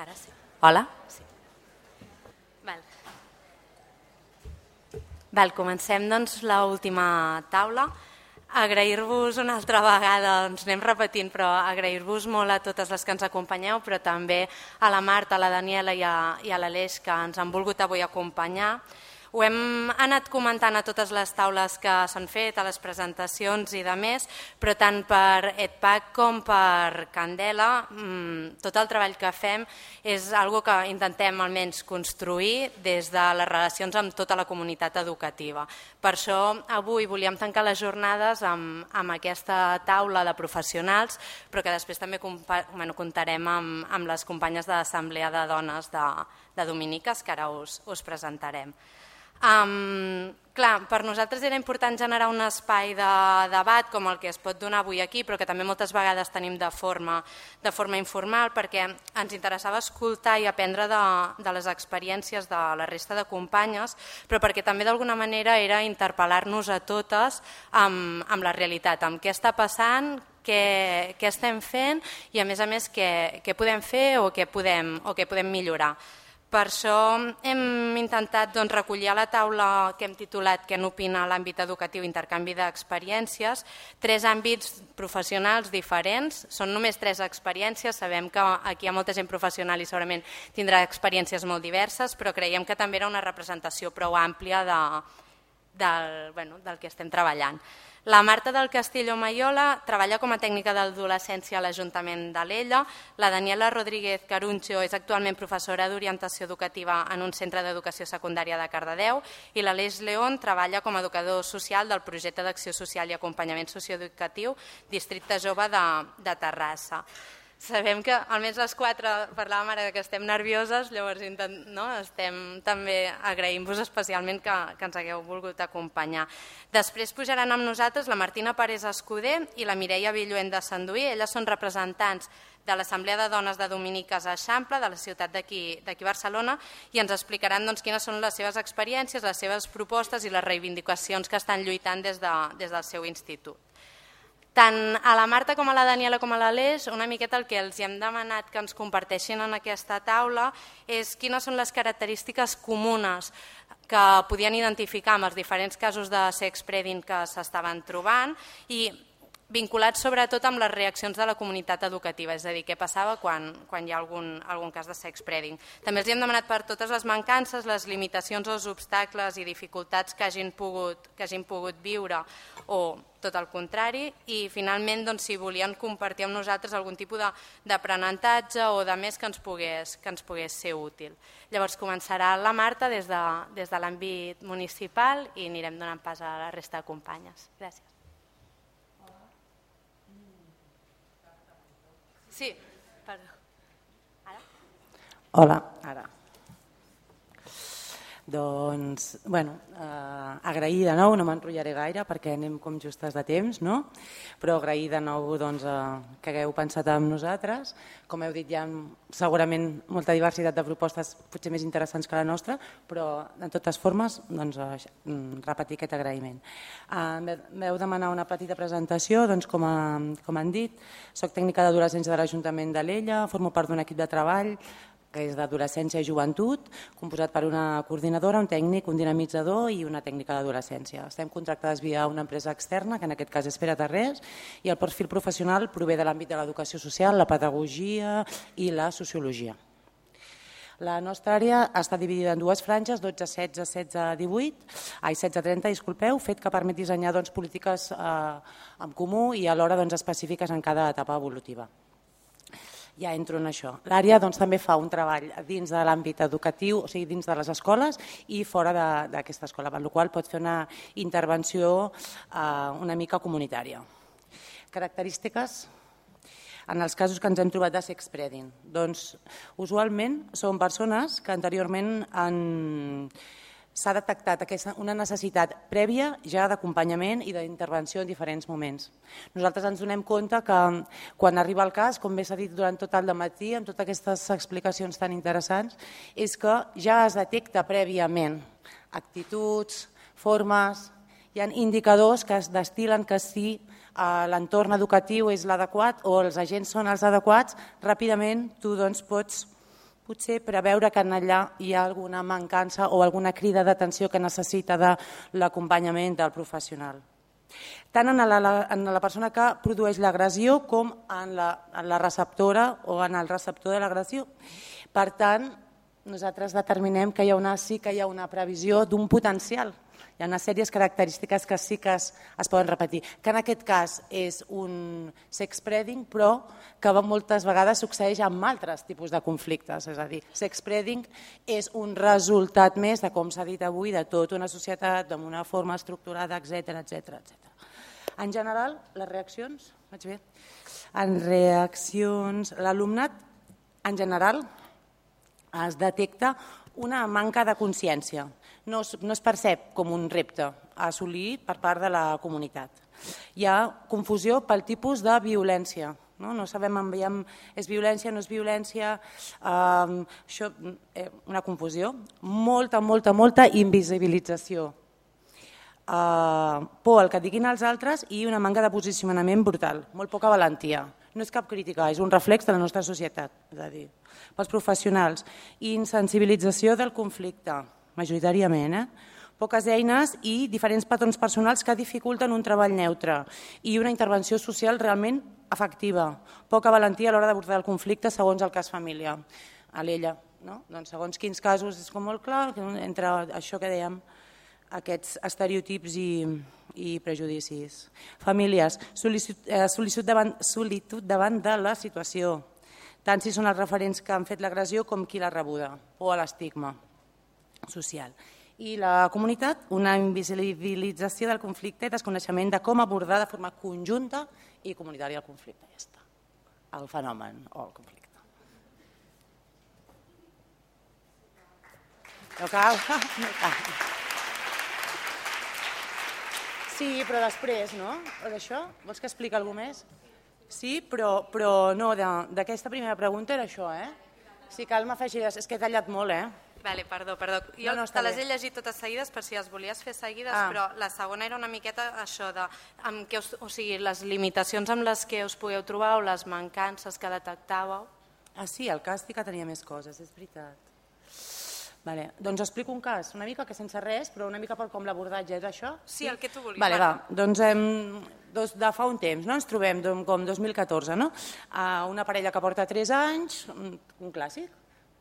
Ara sí. Hola? Sí. Comencem doncs l'última taula. Agrair-vos una altra vegada, ens anem repetint, però agrair-vos molt a totes les que ens acompanyeu, però també a la Marta, a la Daniela i a l'Aleix que ens han volgut avui acompanyar. Ho hem anat comentant a totes les taules que s'han fet, a les presentacions i de més, però tant per EdPAC com per Candela, tot el treball que fem és una cosa que intentem almenys construir des de les relacions amb tota la comunitat educativa. Per això avui volíem tancar les jornades amb aquesta taula de professionals, però que després també comptarem amb les companyes de l'Assemblea de Dones de Dominiques, que ara us presentarem. Clar, per nosaltres era important generar un espai de debat com el que es pot donar avui aquí, però que també moltes vegades tenim de forma informal, perquè ens interessava escoltar i aprendre de les experiències de la resta de companyes, però perquè també d'alguna manera era interpel·lar-nos a totes amb la realitat, amb què està passant, què estem fent i a més què podem fer o què podem millorar. Per això hem intentat recollir a la taula que hem titulat Què n'opina l'àmbit educatiu, intercanvi d'experiències, 3 àmbits professionals diferents. Són només 3 experiències, sabem que aquí hi ha molta gent professional i segurament tindrà experiències molt diverses, però creiem que també era una representació prou àmplia del que estem treballant. La Marta del Castillo Maiola treballa com a tècnica d'adolescència a l'Ajuntament d'Alella. La Daniela Rodríguez Caruncho és actualment professora d'orientació educativa en un centre d'educació secundària de Cardedeu i l'Aleix León treballa com a educador social del projecte d'acció social i acompanyament socioeducatiu Districte Jove de Terrassa. Sabem que almenys les 4 parlàvem ara que estem nervioses, llavors també agraïm-vos especialment que ens hagueu volgut acompanyar. Després pujaran amb nosaltres la Martina Pérez Escudé i la Mireia Villuent de Sanduí. Elles són representants de l'Assemblea de Dones de Dominiques a Eixample, de la ciutat d'aquí Barcelona, i ens explicaran quines són les seves experiències, les seves propostes i les reivindicacions que estan lluitant des del seu institut. Tant a la Marta com a la Daniela com a l'Aleix, una miqueta el que els hem demanat que ens comparteixin en aquesta taula és quines són les característiques comunes que podien identificar amb els diferents casos de sex-preading que s'estaven trobant i vinculats sobretot amb les reaccions de la comunitat educativa, és a dir, què passava quan hi ha algun cas de sex-preading. També els hem demanat per totes les mancances, les limitacions, els obstacles i dificultats que hagin pogut viure o tot el contrari, i finalment si volien compartir amb nosaltres algun tipus d'aprenentatge o de més que ens pogués ser útil. Llavors començarà la Marta des de l'àmbit municipal i anirem donant pas a la resta de companyes. Gràcies. Sí, perdó. Ara? Hola, ara. Doncs, agrair de nou, no m'enrotllaré gaire perquè anem com justes de temps, no? Però agrair de nou que hagueu pensat en nosaltres. Com heu dit, hi ha segurament molta diversitat de propostes potser més interessants que la nostra, però de totes formes repetir aquest agraïment. Vau demanar una petita presentació, com han dit, soc tècnica d'adolescència de l'Ajuntament d'Alella, formo part d'un equip de treball que és d'adolescència i joventut, composat per una coordinadora, un tècnic, un dinamitzador i una tècnica d'adolescència. Estem contractades via una empresa externa, que en aquest cas és Pere Tarrés, i el perfil professional prové de l'àmbit de l'educació social, la pedagogia i la sociologia. La nostra àrea està dividida en 2 franges, 12-16, 16-30, fet que permet dissenyar polítiques en comú i alhora específiques en cada etapa evolutiva. Ja entro en això. L'àrea també fa un treball dins de l'àmbit educatiu, o sigui, dins de les escoles i fora d'aquesta escola, per la qual pot fer una intervenció una mica comunitària. Característiques en els casos que ens hem trobat de sex-preading. Doncs, usualment, són persones que anteriorment s'ha detectat una necessitat prèvia ja d'acompanyament i d'intervenció en diferents moments. Nosaltres ens donem compte que quan arriba el cas, com bé s'ha dit durant tot el dematí, amb totes aquestes explicacions tan interessants, és que ja es detecta prèviament actituds, formes, hi ha indicadors que es destil·len que si l'entorn educatiu és l'adequat o els agents són els adequats, ràpidament tu pots potser preveure que allà hi ha alguna mancança o alguna crida d'atenció que necessita de l'acompanyament del professional. Tant en la persona que produeix l'agressió com en la receptora o en el receptor de l'agressió. Per tant, nosaltres determinem que sí que hi ha una previsió d'un potencial. Hi ha una sèrie de característiques que sí que es poden repetir, que en aquest cas és un sexspreading, però que moltes vegades succeeix amb altres tipus de conflictes. És a dir, sexspreading és un resultat més de, com s'ha dit avui, de tota una societat, d'una forma estructurada, etc. En general, les reaccions, vaig bé? En reaccions, l'alumnat, en general, es detecta una manca de consciència. No es percep com un repte a assolir per part de la comunitat. Hi ha confusió pel tipus de violència. No sabem si és violència, no és violència, una confusió, molta invisibilització, por al que diguin els altres i una manca de posicionament brutal, molt poca valentia. No és cap crítica, és un reflex de la nostra societat, és a dir, pels professionals. Insensibilització del conflicte, majoritàriament, poques eines i diferents patrons personals que dificulten un treball neutre i una intervenció social realment efectiva. Poca valentia a l'hora d'abordar el conflicte segons el cas família. A l'ella, doncs segons quins casos és com molt clar, entre això que dèiem, aquests estereotips i prejudicis. Famílies, solitud davant de la situació, tant si són els referents que han fet l'agressió com qui l'ha rebuda, o a l'estigma social. I la comunitat, una invisibilització del conflicte i desconeixement de com abordar de forma conjunta i comunitària el conflicte. Ja està. El fenomen o el conflicte. No cal? No cal. Sí, però després, no? D'això? Vols que expliqui alguna cosa més? Sí, però no, d'aquesta primera pregunta era això, Si cal m'afegiràs, és que he tallat molt, Vale, perdó. Jo te les he llegit totes seguides per si les volies fer seguides, però la segona era una miqueta això de les limitacions amb les que us podeu trobar o les mancances que detectàveu. Sí, el cas sí que tenia més coses, és veritat. Doncs explico un cas, una mica que sense res, però una mica per com l'abordatge és això. Sí, el que tu vulguis. Doncs de fa un temps, ens trobem com 2014, una parella que porta 3 anys, un clàssic,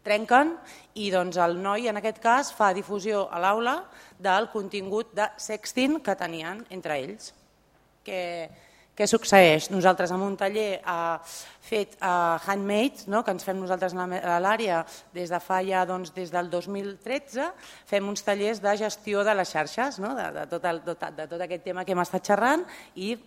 trenquen i el noi en aquest cas fa difusió a l'aula del contingut de sexting que tenien entre ells. Què succeeix? Nosaltres amb un taller fet handmade, que ens fem nosaltres a l'àrea des de fa ja des del 2013, fem uns tallers de gestió de les xarxes, de tot aquest tema que hem estat xerrant i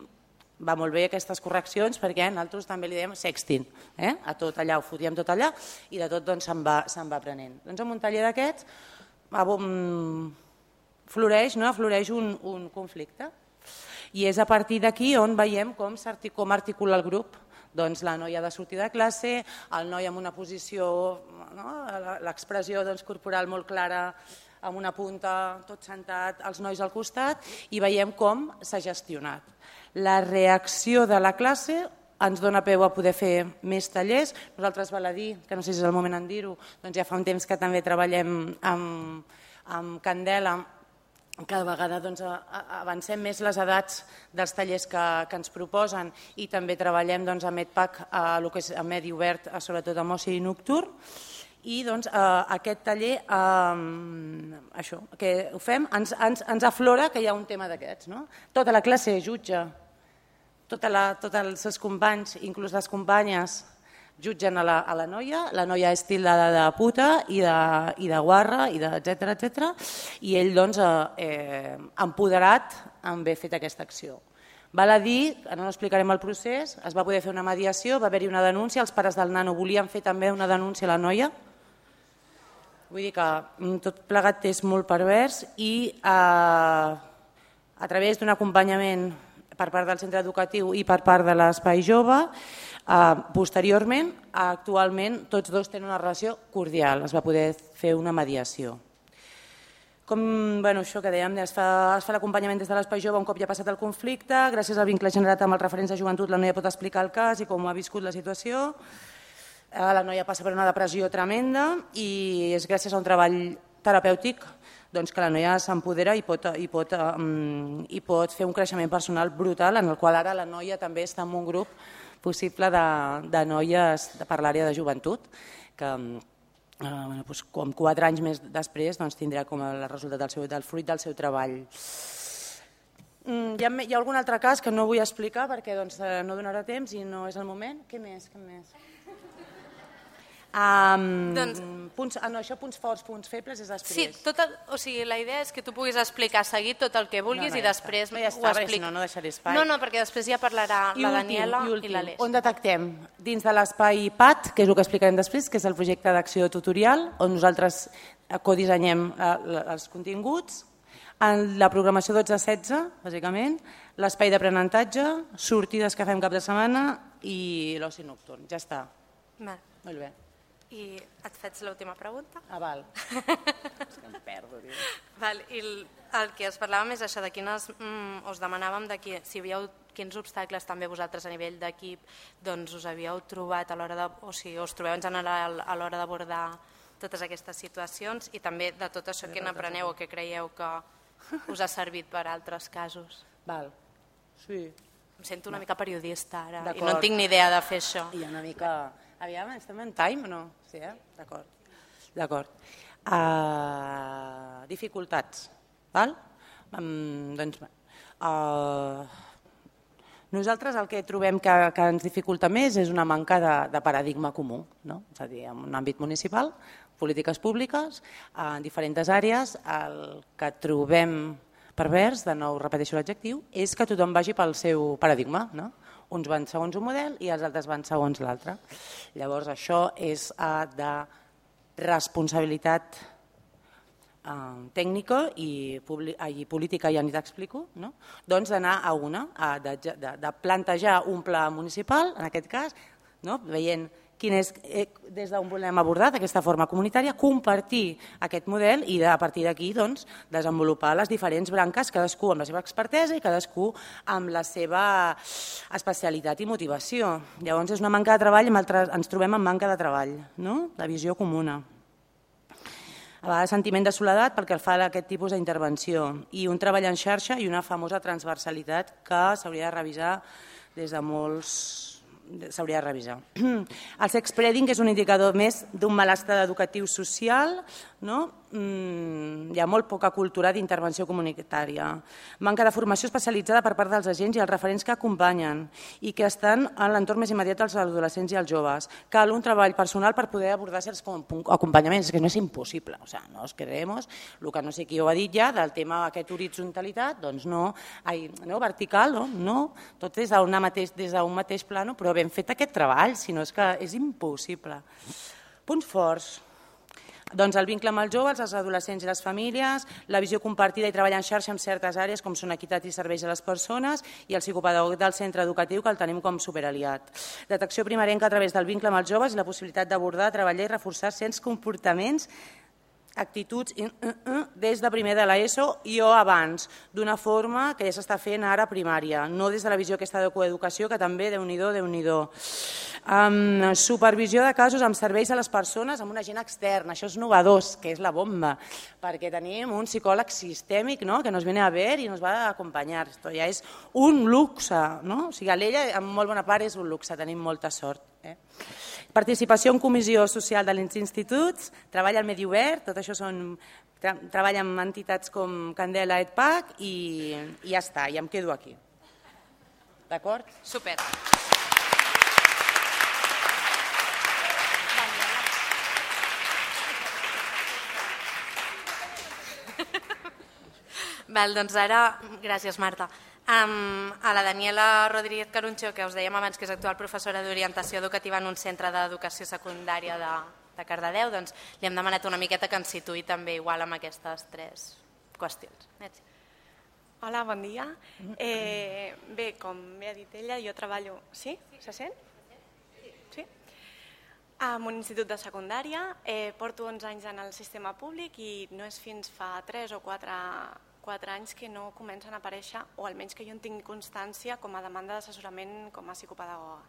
va molt bé aquestes correccions perquè nosaltres també li dèiem sexting, a tot allà, ho fotíem tot allà i de tot se'n va aprenent. Doncs en un taller d'aquests floreix un conflicte i és a partir d'aquí on veiem com articula el grup. Doncs la noia ha de sortir de classe, el noi amb una posició, l'expressió corporal molt clara, amb una punta, tot sentat, els nois al costat, i veiem com s'ha gestionat. La reacció de la classe ens dona peu a poder fer més tallers. Nosaltres, val a dir, que no sé si és el moment en dir-ho, doncs ja fa un temps que també treballem amb Candela, cada vegada avancem més les edats dels tallers que ens proposen i també treballem amb EdPAC, el que és a medi obert, sobretot amb oci nocturn. I aquest taller, això que ho fem, ens aflora que hi ha un tema d'aquests. Tota la classe jutja, tots els seus companys, inclús les companyes, jutgen a la noia és tildada de puta i de guarra, etc. I ell, empoderat, en haver fet aquesta acció. Val a dir, ara no explicarem el procés, es va poder fer una mediació, va haver-hi una denúncia, els pares del nano volien fer també una denúncia a la noia. Vull dir que tot plegat és molt pervers i a través d'un acompanyament per part del centre educatiu i per part de l'Espai Jove, posteriorment, actualment, tots dos tenen una relació cordial, es va poder fer una mediació. Això que dèiem, es fa l'acompanyament des de l'Espai Jove un cop ja ha passat el conflicte, gràcies al vincle generat amb els referents de joventut la noia pot explicar el cas i com ha viscut la situació. La noia passa per una depressió tremenda i és gràcies a un treball terapèutic que la noia s'empodera i pot fer un creixement personal brutal, en el qual ara la noia també està en un grup possible de noies per l'àrea de joventut, que com 4 anys més després tindrà com el resultat del fruit del seu treball. Hi ha algun altre cas que no vull explicar perquè no donarà temps i no és el moment. Què més? Això, punts forts, punts febles, és després. Sí, la idea és que tu puguis explicar seguit tot el que vulguis i després ho expliques. No deixaré espai. No, perquè després ja parlarà la Daniela i l'Aleix. On detectem? Dins de l'espai PAT, que és el que explicarem després, que és el projecte d'acció tutorial, on nosaltres codissenyem els continguts, en la programació 12-16, bàsicament, l'espai d'aprenentatge, sortides que fem cap de setmana i l'oci nocturn. Ja està. Molt bé. I et faig l'última pregunta? Val. És que em perdo, tio. I el que es parlàvem és això, us demanàvem si havíeu, quins obstacles també vosaltres a nivell d'equip us havíeu trobat a l'hora o si us trobeu en general a l'hora d'abordar totes aquestes situacions i també de tot això que n'apreneu o que creieu que us ha servit per a altres casos. Val, sí. Em sento una mica periodista ara i no tinc ni idea de fer això. I una mica... Aviam, estem en time o no? Sí, D'acord. Dificultats. Nosaltres el que trobem que ens dificulta més és una manca de paradigma comú, és a dir, en un àmbit municipal, polítiques públiques, en diferents àrees, el que trobem pervers, de nou repeteixo l'adjectiu, és que tothom vagi pel seu paradigma, uns van segons un model i els altres van segons l'altre. Llavors això és de responsabilitat tècnica i política, ja ni t'explico, d'anar a una, de plantejar un pla municipal, en aquest cas, veient quin és, des d'on volem abordar d'aquesta forma comunitària, compartir aquest model i a partir d'aquí desenvolupar les diferents branques, cadascú amb la seva expertesa i cadascú amb la seva especialitat i motivació. Llavors és una manca de treball, ens trobem amb manca de treball, de visió comuna. A vegades sentiment de soledat pel que fa a aquest tipus d'intervenció i un treball en xarxa i una famosa transversalitat que s'hauria de revisar des de molts... s'hauria de revisar. El sexspreading és un indicador més d'un malestar educatiu social, hi ha molt poca cultura d'intervenció comunitària, manca de formació especialitzada per part dels agents i els referents que acompanyen i que estan en l'entorn més immediat dels adolescents i els joves. Cal un treball personal per poder abordar certs acompanyaments, que no és impossible, nos creemos, el que no sé qui ho ha dit ja, del tema d'aquesta horitzontalitat, doncs no, vertical, no, tot des d'un mateix plano, però ben fet aquest treball, si no és que és impossible. Punts forts. Doncs el vincle amb els joves, els adolescents i les famílies, la visió compartida i treballar en xarxa en certes àrees com són equitat i serveis a les persones i el psicopedagog del centre educatiu que el tenim com superaliat. Detecció primerenca a través del vincle amb els joves i la possibilitat d'abordar, treballar i reforçar certs comportaments, actituds des de primer de l'ESO i o abans, d'una forma que ja s'està fent ara a primària, no des de la visió aquesta de coeducació, que també, Déu-n'hi-do. Supervisió de casos amb serveis a les persones amb un agent extern, això és novedós, que és la bomba, perquè tenim un psicòleg sistèmic que nos viene a ver i nos va a acompanyar. Esto ja és un luxe, o sigui, l'ella en molt bona part és un luxe, tenim molta sort. Participació en comissió social de els instituts, treball al medi obert, tot això treball amb entitats com Candela, EdPAC i ja està, ja em quedo aquí. D'acord? Super. Doncs ara, gràcies Marta, a la Daniela Rodríguez Caruncho, que us dèiem abans que és actual professora d'orientació educativa en un centre d'educació secundària de Cardedeu, doncs li hem demanat una miqueta que ens situï també igual amb aquestes 3 qüestions. Hola, bon dia. Bé, com bé ha dit ella, jo treballo... Sí? Se sent? Sí? En un institut de secundària, porto 11 anys en el sistema públic i no és fins fa 3 o 4 anys que no comencen a aparèixer, o almenys que jo en tinc constància com a demanda d'assessorament com a psicopedagoga.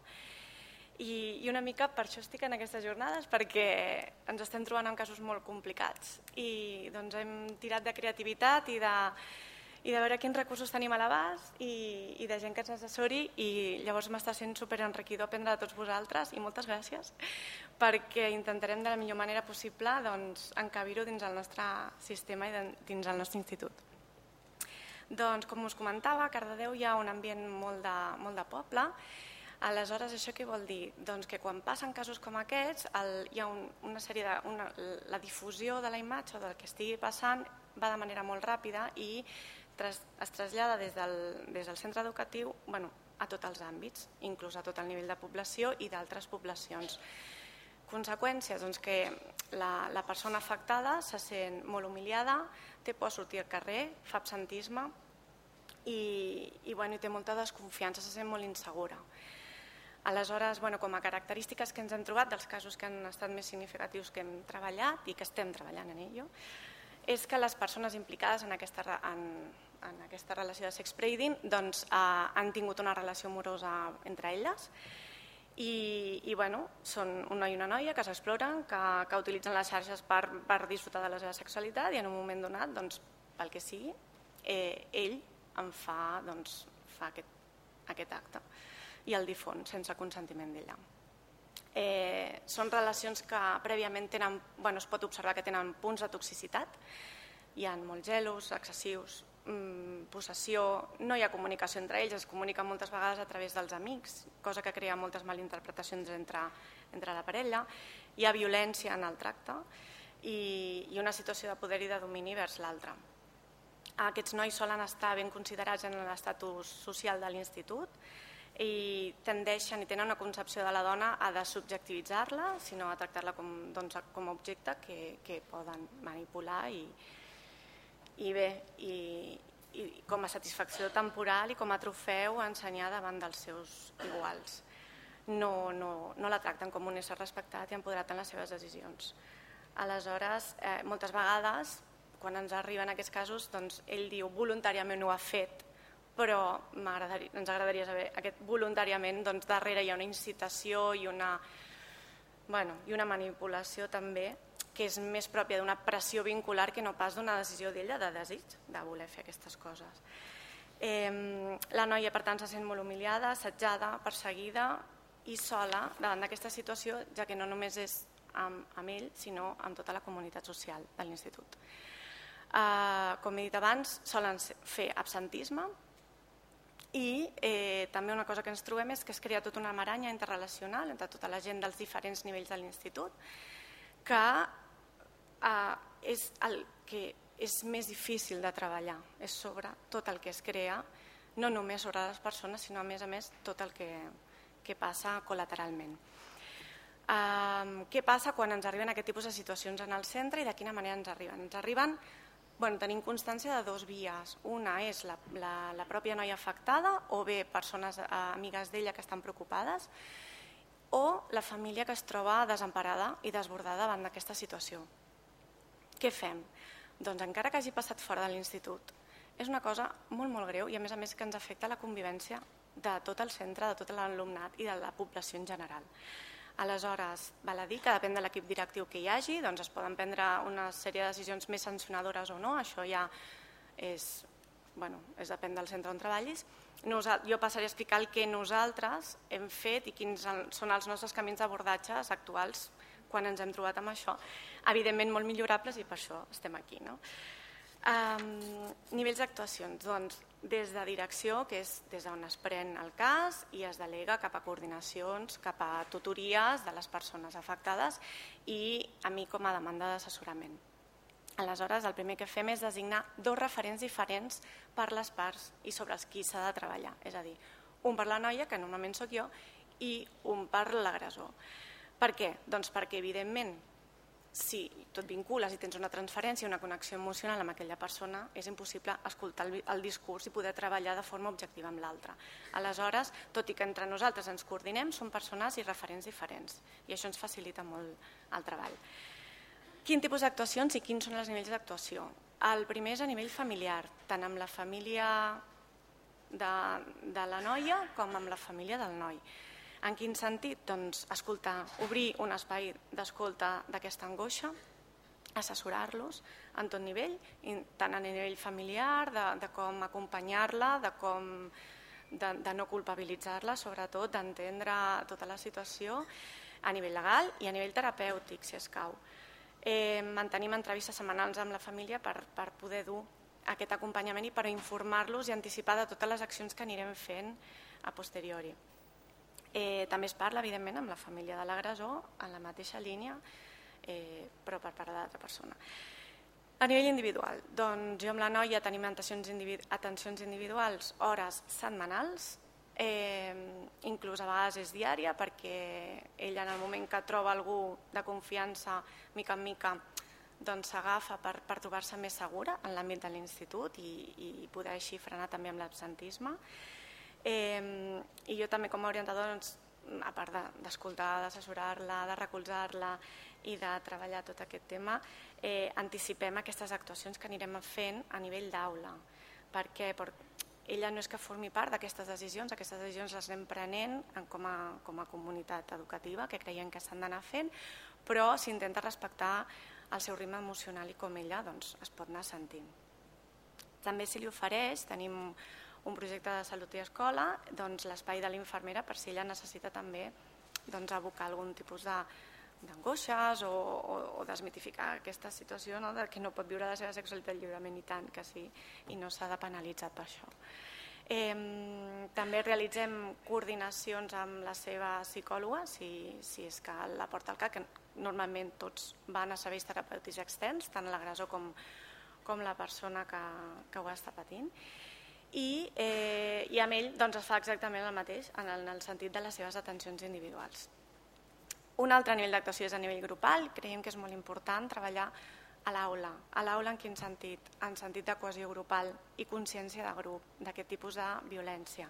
I una mica per això estic en aquestes jornades, perquè ens estem trobant en casos molt complicats i doncs hem tirat de creativitat i de veure quins recursos tenim a l'abast i de gent que ens assessori, i llavors m'està sent superenriquidor aprendre de tots vosaltres, i moltes gràcies, perquè intentarem de la millor manera possible encabir-ho dins el nostre sistema i dins el nostre institut. Doncs, com us comentava, a Cardedeu hi ha un ambient molt de poble. Aleshores, això què vol dir? Doncs que quan passen casos com aquests, hi ha una sèrie la difusió de la imatge o del que estigui passant va de manera molt ràpida i es trasllada des del centre educatiu a tots els àmbits, inclús a tot el nivell de població i d'altres poblacions. Conseqüències, doncs que la persona afectada se sent molt humiliada, té por a sortir al carrer, fa absentisme i té molta desconfiança, se sent molt insegura. Aleshores, com a característiques que ens hem trobat dels casos que han estat més significatius que hem treballat i que estem treballant en ello, és que les persones implicades en aquesta relació de sex trading han tingut una relació amorosa entre elles i són un noi i una noia que s'exploren, que utilitzen les xarxes per disfrutar de la seva sexualitat, i en un moment donat, pel que sigui, ell en fa aquest acte i el difon sense consentiment d'ella. Són relacions que prèviament es pot observar que tenen punts de toxicitat. Hi ha molts gelos, excessius, possessió, no hi ha comunicació entre ells, es comuniquen moltes vegades a través dels amics, cosa que crea moltes malinterpretacions entre la parella. Hi ha violència en el tracte i una situació de poder i de domini vers l'altre. Aquests nois solen estar ben considerats en l'estatus social de l'institut i tendeixen i tenen una concepció de la dona a desubjectivitzar-la, sinó a tractar-la com a objecte que poden manipular i com a satisfacció temporal i com a trofeu a ensenyar davant dels seus iguals. No la tracten com un ésser respectat i empoderat en les seves decisions. Aleshores, moltes vegades, quan ens arriben aquests casos, ell diu voluntàriament ho ha fet, però ens agradaria saber aquest voluntàriament, darrere hi ha una incitació i una manipulació també que és més pròpia d'una pressió vincular que no pas d'una decisió d'ella de desig de voler fer aquestes coses. La noia, per tant, se sent molt humiliada, assetjada, perseguida i sola davant d'aquesta situació, ja que no només és amb ell, sinó amb tota la comunitat social de l'institut. Com he dit abans, solen fer absentisme i també una cosa que ens trobem és que es crea tota una maranya interrelacional entre tota la gent dels diferents nivells de l'institut, que és el que és més difícil de treballar, és sobre tot el que es crea, no només sobre les persones, sinó a més tot el que passa col·lateralment. Què passa quan ens arriben aquest tipus de situacions en el centre i de quina manera ens arriben? Ens arriben tenim constància de dues vies. Una és la pròpia noia afectada o bé persones amigues d'ella que estan preocupades o la família que es troba desemparada i desbordada davant d'aquesta situació. Què fem? Doncs encara que hagi passat fora de l'institut, és una cosa molt greu i a més que ens afecta la convivència de tot el centre, de tot l'alumnat i de la població en general. Aleshores, val a dir que depèn de l'equip directiu que hi hagi, es poden prendre una sèrie de decisions més sancionadores o no, això ja depèn del centre on treballis. Jo passaré a explicar el que nosaltres hem fet i quins són els nostres camins d'abordatges actuals quan ens hem trobat amb això, evidentment molt millorables i per això estem aquí. Nivells d'actuacions, doncs, des de direcció, que és des d'on es pren el cas i es delega cap a coordinacions, cap a tutories de les persones afectades i a mi com a demanda d'assessorament. Aleshores, el primer que fem és designar dos referents diferents per les parts i sobre els qui s'ha de treballar, és a dir, un per la noia, que normalment sóc jo, i un per l'agressor. Per què? Doncs perquè, evidentment, si tu et vincules i tens una transferència, una connexió emocional amb aquella persona, és impossible escoltar el discurs i poder treballar de forma objectiva amb l'altre. Aleshores, tot i que entre nosaltres ens coordinem, són persones i referents diferents i això ens facilita molt el treball. Quin tipus d'actuacions i quins són els nivells d'actuació? El primer és a nivell familiar, tant amb la família de la noia com amb la família del noi. En quin sentit? Doncs escoltar, obrir un espai d'escolta d'aquesta angoixa, assessorar-los en tot nivell, tant a nivell familiar, de com acompanyar-la, de no culpabilitzar-la, sobretot d'entendre tota la situació a nivell legal i a nivell terapèutic, si escau. Mantenim entrevistes setmanals amb la família per poder dur aquest acompanyament i per informar-los i anticipar de totes les accions que anirem fent a posteriori. També es parla, evidentment, amb la família de l'agressor en la mateixa línia, però per part de l'altra persona. A nivell individual, doncs jo amb la noia tenim atencions individuals, hores setmanals, inclús a vegades és diària, perquè ella en el moment que troba algú de confiança, mica en mica, doncs s'agafa per trobar-se més segura en l'àmbit de l'institut i poder així frenar també amb l'absentisme. I jo també com a orientadora, a part d'escoltar, d'assessorar-la, de recolzar-la i de treballar tot aquest tema, anticipem aquestes actuacions que anirem fent a nivell d'aula. Per què? Perquè ella no és que formi part d'aquestes decisions les anem prenent com a comunitat educativa, que creiem que s'han d'anar fent, però s'intenta respectar el seu ritme emocional i com ella es pot anar sentint. També se li ofereix, tenim un projecte de salut i escola, l'espai de l'infermera per si ella necessita també abocar algun tipus d'angoixes o desmitificar aquesta situació que no pot viure la seva sexualitat lliurement, i tant que sí, i no s'ha de penalitzar per això. També realitzem coordinacions amb la seva psicòloga, si és que la porta al cap, que normalment tots van a serveis terapèutics externs, tant l'agressor com la persona que ho està patint, i amb ell es fa exactament el mateix en el sentit de les seves atencions individuals. Un altre nivell d'actuació és a nivell grupal. Creiem que és molt important treballar a l'aula. A l'aula en quin sentit? En sentit de cohesió grupal i consciència de grup d'aquest tipus de violència.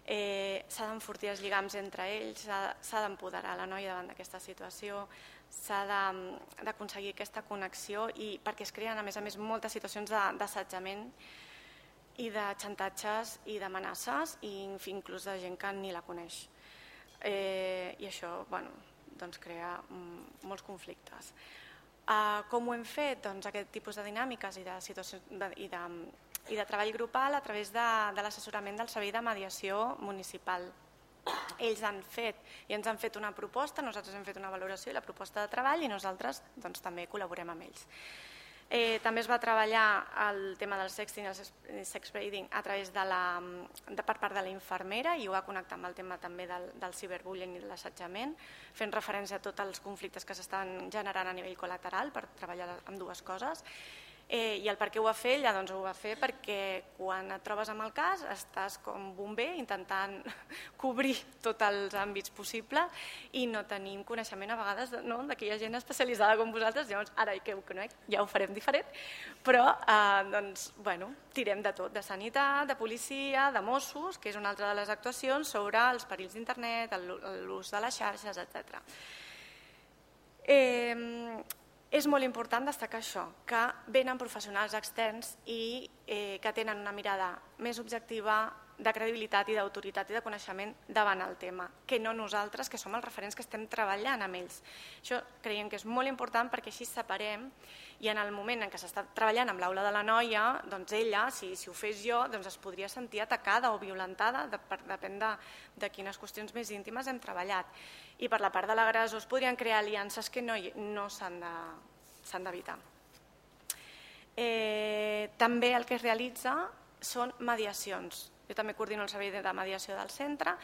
S'ha d'enfortir els lligams entre ells, s'ha d'empoderar la noia davant d'aquesta situació, s'ha d'aconseguir aquesta connexió, i perquè es creen a més moltes situacions d'assetjament i de xantatges i d'amenaces, i inclús de gent que ni la coneix. I això crea molts conflictes. Com ho hem fet? Aquest tipus de dinàmiques i de treball grupal a través de l'assessorament del Servei de Mediació Municipal. Ells han fet i ens han fet una proposta, nosaltres hem fet una valoració i la proposta de treball, i nosaltres també col·laborem amb ells. També es va treballar el tema del sexting i el sexbrading a través per part de la infermera, i ho va connectar amb el tema també del ciberbullying i de l'assetjament, fent referència a tots els conflictes que s'estan generant a nivell col·lateral per treballar amb dues coses. I el per què ho va fer? Ella ho va fer perquè quan et trobes amb el cas estàs com bomber intentant cobrir tots els àmbits possibles i no tenim coneixement a vegades que hi ha gent especialitzada com vosaltres. Llavors ara que ho conec ja ho farem diferent, però tirem de tot, de sanitat, de policia, de Mossos, que és una altra de les actuacions sobre els perills d'internet, l'ús de les xarxes, etc. És molt important destacar això, que venen professionals externs i que tenen una mirada més objectiva, de credibilitat i d'autoritat i de coneixement davant el tema, que no nosaltres, que som els referents que estem treballant amb ells. Això creiem que és molt important perquè així separem, i en el moment en què s'està treballant amb l'aula de la noia, doncs ella, si ho fes jo, es podria sentir atacada o violentada, depèn de quines qüestions més íntimes hem treballat. I per la part de l'agressor es podrien crear aliances que no s'han d'evitar. També el que es realitza són mediacions. Jo també coordino el servei de mediació del centre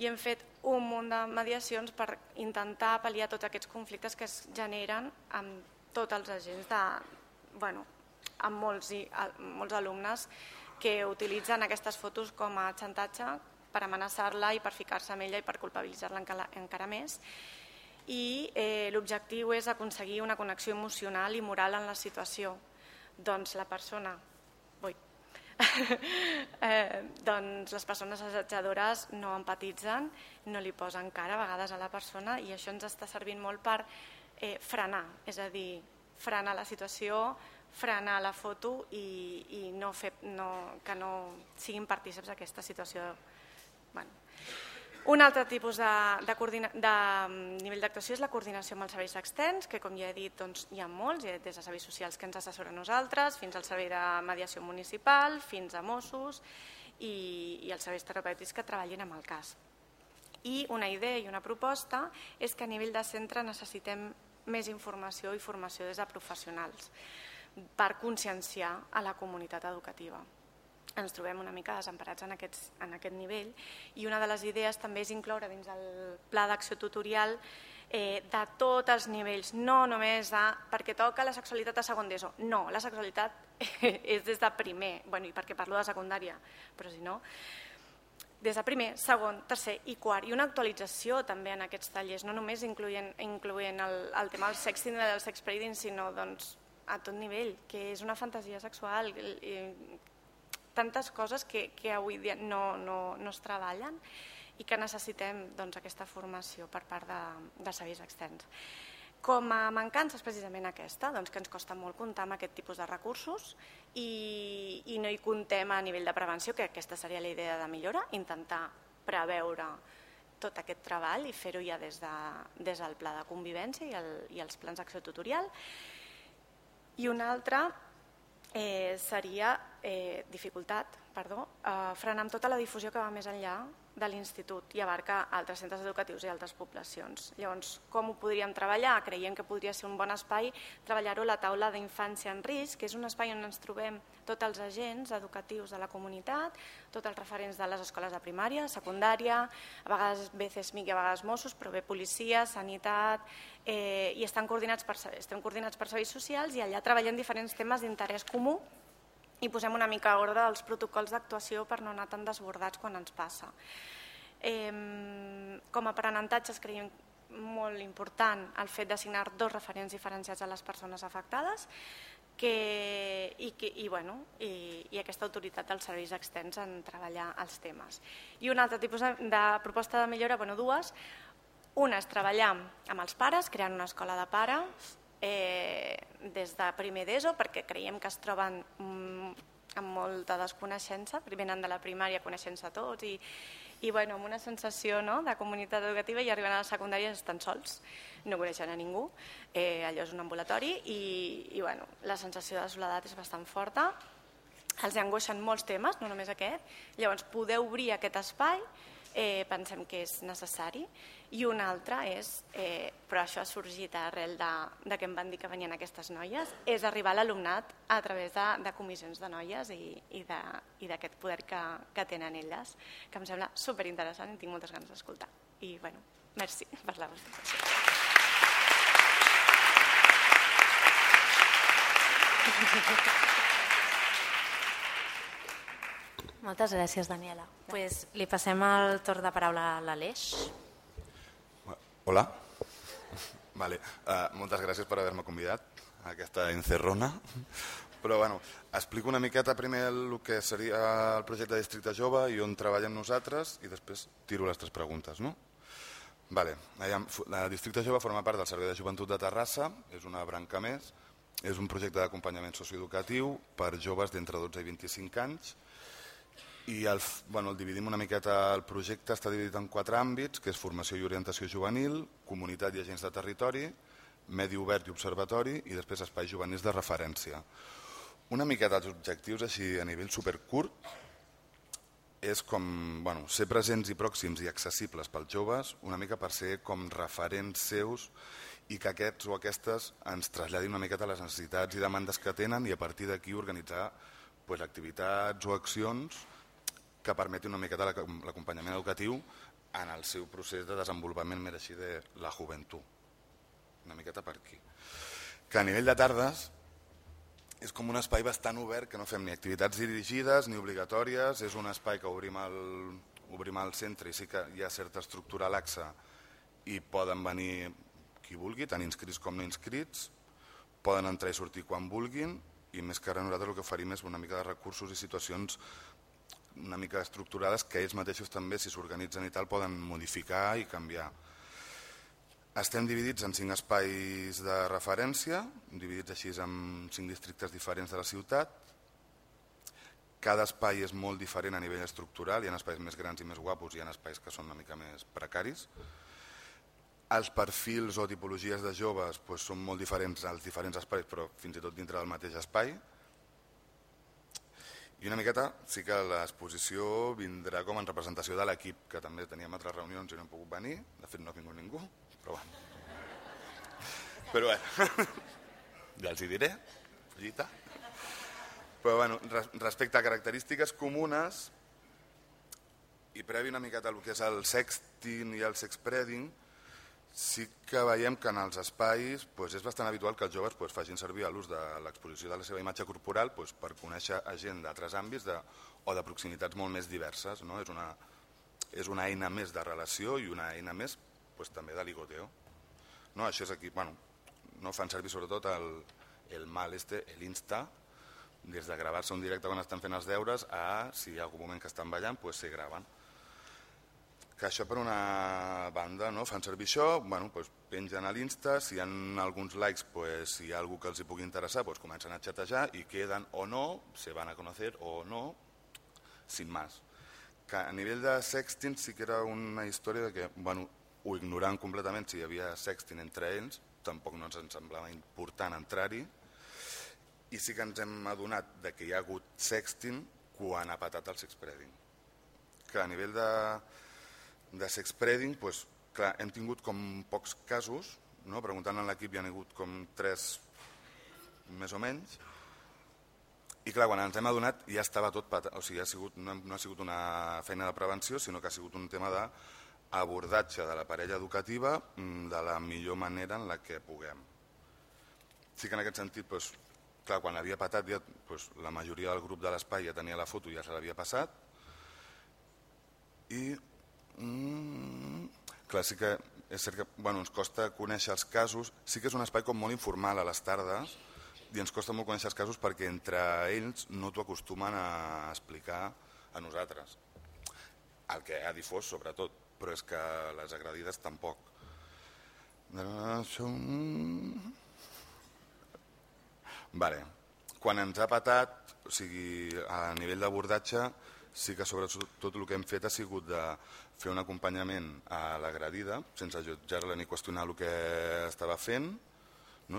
i hem fet un munt de mediacions per intentar pal·liar tots aquests conflictes que es generen amb tots els agents, amb molts alumnes que utilitzen aquestes fotos com a xantatge per amenaçar-la i per ficar-se amb ella i per culpabilitzar-la encara més. I l'objectiu és aconseguir una connexió emocional i moral en la situació. Doncs la persona... les persones assetjadores no empatitzen, no li posen cara a vegades a la persona, i això ens està servint molt per frenar, és a dir, frenar la situació, frenar la foto i que no siguin partícips d'aquesta situació. Un altre tipus de nivell d'actuació és la coordinació amb els serveis externs, que com ja he dit hi ha molts, des de serveis socials que ens assessoren nosaltres, fins al servei de mediació municipal, fins a Mossos i els serveis terapèutics que treballin amb el cas. I una idea i una proposta és que a nivell de centre necessitem més informació i formació des de professionals per conscienciar a la comunitat educativa. Ens trobem una mica desemparats en aquest nivell i una de les idees també és incloure dins el pla d'acció tutorial de tots els nivells, no només perquè toca la sexualitat a segon d'ESO. No, la sexualitat és des de primer, i perquè parlo de secundària, però si no, des de primer, segon, tercer i quart, i una actualització també en aquests tallers, no només incloent el tema del sexting i del sex trading, sinó a tot nivell, que és una fantasia sexual, tantes coses que avui dia no es treballen i que necessitem aquesta formació per part de serveis externs. Com a mancança és precisament aquesta, que ens costa molt comptar amb aquest tipus de recursos i no hi comptem a nivell de prevenció, que aquesta seria la idea de millora, intentar preveure tot aquest treball i fer-ho ja des del pla de convivència i els plans d'acció tutorial. I una altra seria frenar amb tota la difusió que va més enllà de l'institut i abarca altres centres educatius i altres poblacions. Llavors, com ho podríem treballar? Creiem que podria ser un bon espai treballar-ho a la taula d'infància en risc, que és un espai on ens trobem tots els agents educatius de la comunitat, tots els referents de les escoles de primària, secundària, a vegades BCSMIC i a vegades Mossos, però bé policia, sanitat, i estem coordinats per serveis socials i allà treballem diferents temes d'interès comú i posem una mica a ordre els protocols d'actuació per no anar tan desbordats quan ens passa. Com a aprenentatges creiem molt important el fet d'assignar 2 referents diferenciats a les persones afectades i aquesta autoritat dels serveis externs en treballar els temes. I un altre tipus de proposta de millora, 2. Una és treballar amb els pares, creant una escola de pares, des de primer d'ESO, perquè creiem que es troben amb molta desconeixença, venen de la primària coneixent-se tots i amb una sensació de comunitat educativa i arriben a la secundària estan sols, no coneixen a ningú, allò és un ambulatori i la sensació de soledat és bastant forta, els angoixen molts temes, no només aquest, llavors poder obrir aquest espai pensem que és necessari. I una altra és, però això ha sorgit arrel de que em van dir que venien aquestes noies, és arribar a l'alumnat a través de comissions de noies i d'aquest poder que tenen elles, que em sembla superinteressant i tinc moltes ganes d'escoltar. I, merci per la vostra atenció. Moltes gràcies, Daniela. Li passem el torn de paraula a l'Aleix. Hola. Moltes gràcies per haver-me convidat a aquesta encerrona. Però explico una miqueta primer el que seria el projecte de Districte Jove i on treballem nosaltres i després tiro les 3 preguntes. El Districte Jove forma part del Servei de Joventut de Terrassa, és una branca més, és un projecte d'acompanyament socioeducatiu per joves d'entre 12 i 25 anys i el dividim una miqueta. El projecte està dividit en 4 àmbits, que és formació i orientació juvenil, comunitat i agents de territori, medi obert i observatori i després espais juvenils de referència. Una miqueta els objectius així a nivell supercurt és com ser presents i pròxims i accessibles pels joves, una mica per ser com referents seus i que aquests o aquestes ens traslladin una miqueta les necessitats i demandes que tenen i a partir d'aquí organitzar activitats o accions que permetin una miqueta l'acompanyament educatiu en el seu procés de desenvolupament més així de la joventut. Una miqueta per aquí. Que a nivell de tardes és com un espai bastant obert, que no fem ni activitats dirigides ni obligatòries, és un espai que obrim al centre i sí que hi ha certa estructura laxa i poden venir qui vulgui, tant inscrits com no inscrits, poden entrar i sortir quan vulguin i més que ara nosaltres el que oferim és una mica de recursos i situacions una mica estructurades que ells mateixos també, si s'organitzen i tal, poden modificar i canviar. Estem dividits en 5 espais de referència, dividits així en 5 districtes diferents de la ciutat, cada espai és molt diferent a nivell estructural, hi ha espais més grans i més guapos, hi ha espais que són una mica més precaris. Els perfils o tipologies de joves són molt diferents als diferents espais, però fins i tot dintre del mateix espai. I una miqueta sí que l'exposició vindrà com en representació de l'equip, que també teníem altres reunions i no hem pogut venir, de fet no ha vingut ningú, però bueno. Però bueno, ja els hi diré, collita. Però bueno, respecte a característiques comunes, i previ una miqueta al que és el sexting i el sexpreading, sí que veiem que en els espais és bastant habitual que els joves facin servir l'ús de l'exposició de la seva imatge corporal per conèixer gent d'altres àmbits o de proximitats molt més diverses. És una eina més de relació i una eina més també de ligoteo. Això és aquí, fan servir sobretot el mal l'Insta, des de gravar-se un directe quan estan fent els deures a, si hi ha algun moment que estan ballant, se graven. Que això per una banda, fan servir això, pengen a l'Insta, si hi ha alguns likes, si hi ha algú que els hi pugui interessar, comencen a xatejar i queden o no, se van a conocer o no, sin más. Que a nivell de sexting sí que era una història de que ho ignoraven completament si hi havia sexting entre ells, tampoc no ens semblava important entrar-hi, i sí que ens hem adonat que hi ha hagut sexting quan ha patat el sexpreading. Que a nivell de sexpreading, clar, hem tingut com pocs casos, preguntant a l'equip hi ha hagut com 3 més o menys, i clar, quan ens hem adonat ja estava tot patat, o sigui, no ha sigut una feina de prevenció, sinó que ha sigut un tema d'abordatge de la parella educativa de la millor manera en la que puguem. Sí que en aquest sentit, clar, quan havia patat la majoria del grup de l'espai ja tenia la foto i ja se l'havia passat, i clar, sí que és cert que ens costa conèixer els casos, sí que és un espai com molt informal a les tardes i ens costa molt conèixer els casos perquè entre ells no t'ho acostumen a explicar a nosaltres, el que ha difós sobretot, però és que les agredides tampoc. Quan ens ha patat, o sigui, a nivell d'abordatge, sí que sobretot el que hem fet ha sigut de fer un acompanyament a l'agredida, sense jutjar-la ni qüestionar el que estava fent,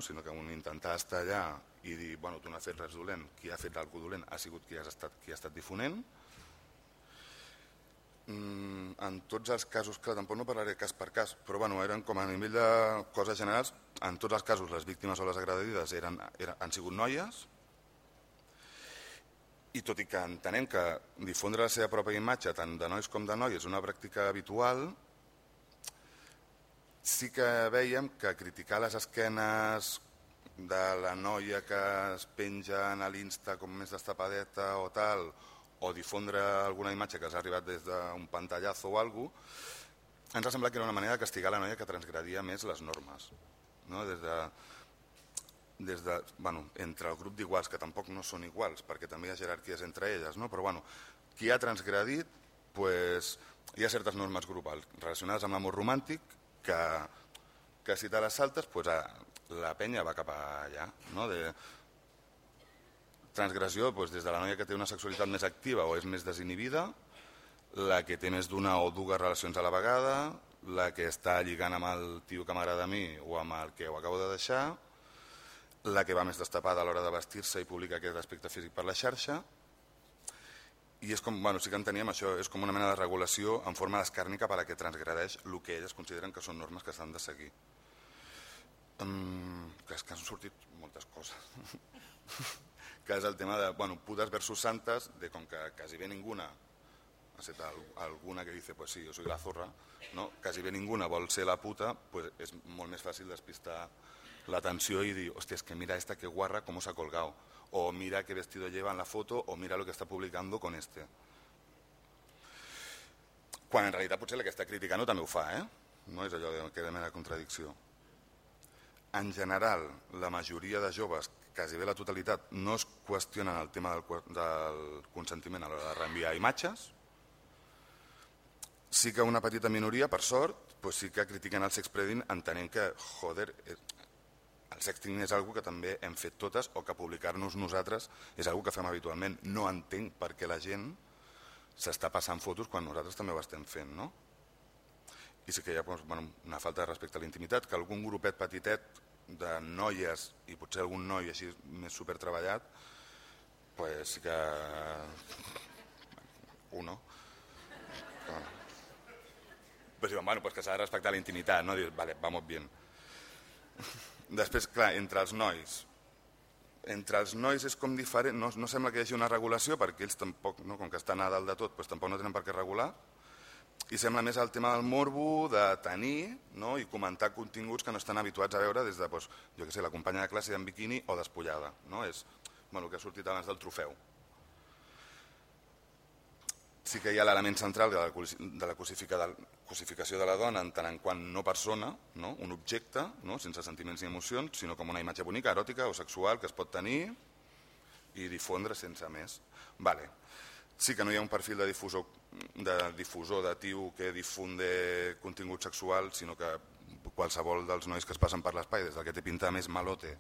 sinó que intentar estar allà i dir, tu no has fet res dolent, qui ha fet alguna cosa dolent ha sigut qui ha estat difonent. En tots els casos, clar, tampoc no parlaré cas per cas, però eren com a nivell de coses generals, en tots els casos les víctimes o les agredides han sigut noies, i tot i que entenem que difondre la seva pròpia imatge tant de nois com de noies és una pràctica habitual, sí que veiem que criticar les esquenes de la noia que es penja a l'Insta com més destapadeta o tal, o difondre alguna imatge que s'ha arribat des d'un pantallazo o alguna cosa, ens ha semblat que era una manera de castigar la noia que transgredia més les normes. Entre el grup d'iguals, que tampoc no són iguals, perquè també hi ha jerarquies entre elles, però qui ha transgredit, hi ha certes normes grupals relacionades amb l'amor romàntic que si te les saltes, la penya va cap allà. Transgressió des de la noia que té una sexualitat més activa o és més desinhibida, la que té més d'una o dues relacions a la vegada, la que està lligant amb el tio que m'agrada a mi o amb el que ho acabo de deixar, la que va més destapada a l'hora de vestir-se i publicar aquest aspecte físic per la xarxa, i és com, sí que enteníem això, és com una mena de regulació en forma d'escàrnica per a que transgredeix el que elles consideren que són normes que s'han de seguir. Que és que han sortit moltes coses. Que és el tema de putas versus santas, de com que quasi bé ninguna, excepte alguna que dice, pues sí, yo soy la zorra, quasi bé ninguna vol ser la puta, és molt més fàcil despistar l'atenció i dir, hòstia, es que mira esta que guarra cómo se ha colgado, o mira qué vestido lleva en la foto, o mira lo que está publicando con este. Quan en realitat potser la que està criticant també ho fa, no és allò que de mera contradicció. En general, la majoria de joves, quasi bé la totalitat, no es qüestionen el tema del consentiment a l'hora de reenviar imatges. Sí que una petita minoria, per sort, sí que critiquen el sexpreading entenent que, joder, el sexting és una que també hem fet totes o que publicar-nos nosaltres és una que fem habitualment. No entenc per què la gent s'està passant fotos quan nosaltres també ho estem fent, no? I sí que hi ha una falta de respecte a la intimitat, que algun grupet petitet de noies i potser algun noi així més supertreballat, pues sí que... uno. Pues diuen, bueno, pues que s'ha de respectar la intimitat, no? Dius, vale, vamos bien. Després, clar, entre els nois és com diferent, no sembla que hi hagi una regulació perquè ells tampoc, no, com que estan a dalt de tot, pues tampoc no tenen per què regular, i sembla més el tema del morbo, de tenir, no, i comentar continguts que no estan habituats a veure des de, pues, jo què sé, la companya de classe en biquini o despullada, no? És el que ha sortit abans del trofeu. Sí que hi ha l'element central de la cosificació de la dona en tant en quant no persona, no? Un objecte, no? Sense sentiments ni emocions, sinó com una imatge bonica, eròtica o sexual que es pot tenir i difondre sense més. Vale. Sí que no hi ha un perfil de difusor datiu que difunde contingut sexual, sinó que qualsevol dels nois que es passen per l'espai, des del que té pinta més malote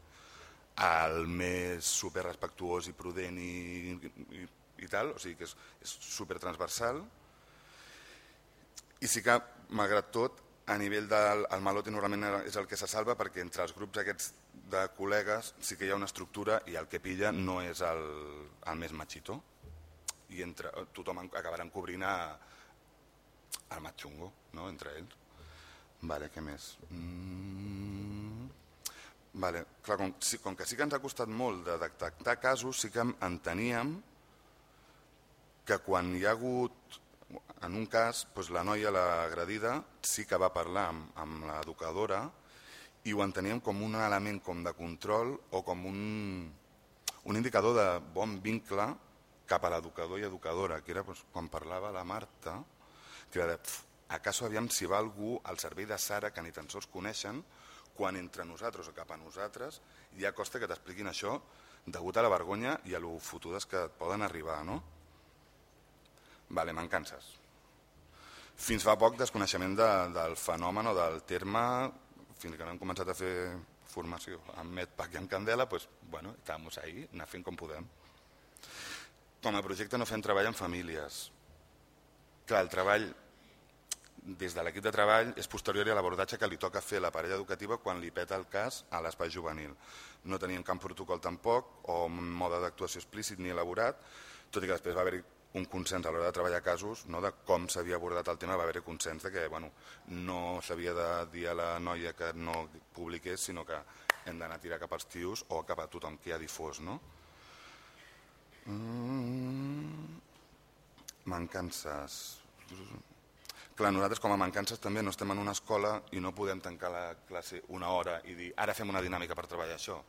al més superrespectuós i prudent i tal, o sigui que és supertransversal. I sí que, malgrat tot, a nivell del malote normalment és el que se salva perquè entre els grups aquests de col·legues sí que hi ha una estructura i el que pilla no és el més machito i tothom acabarà encobrint el más xungo, no? Entre ells. Vale, què més? Vale, clar, com que sí que ens ha costat molt de detectar casos, sí que enteníem que quan hi ha hagut, en un cas, doncs la noia, l'agredida, sí que va parlar amb l'educadora i ho enteníem com un element com de control o com un indicador de bon vincle cap a l'educador i educadora, que era doncs, quan parlava la Marta, que era de, acaso aviam si va algú al servei de Sara que ni tan sols coneixen, quan entre nosaltres o cap a nosaltres ja costa que t'expliquin això degut a la vergonya i a lo fotudes que et poden arribar, no? Vale, mancances. Fins fa poc desconeixement del fenomen o del terme, fins que no hem començat a fer formació amb Medpac i amb Candela, doncs, bueno, estàvem ahí, anar fent com podem. Com a projecte no fem treball en famílies. Clar, el treball des de l'equip de treball és posterior a l'abordatge que li toca fer a la parella educativa quan li peta el cas a l'espai juvenil. No teníem cap protocol tampoc o un mode d'actuació explícit ni elaborat, tot i que després va haver-hi un consens a l'hora de treballar casos, no, de com s'havia abordat el tema, va haver-hi consens de que no s'havia de dir a la noia que no publiqués, sinó que hem d'anar a tirar cap als tios o cap a tothom que ha difós. No? Mancances. Clar, nosaltres com a mancances també no estem en una escola i no podem tancar la classe una hora i dir ara fem una dinàmica per treballar això.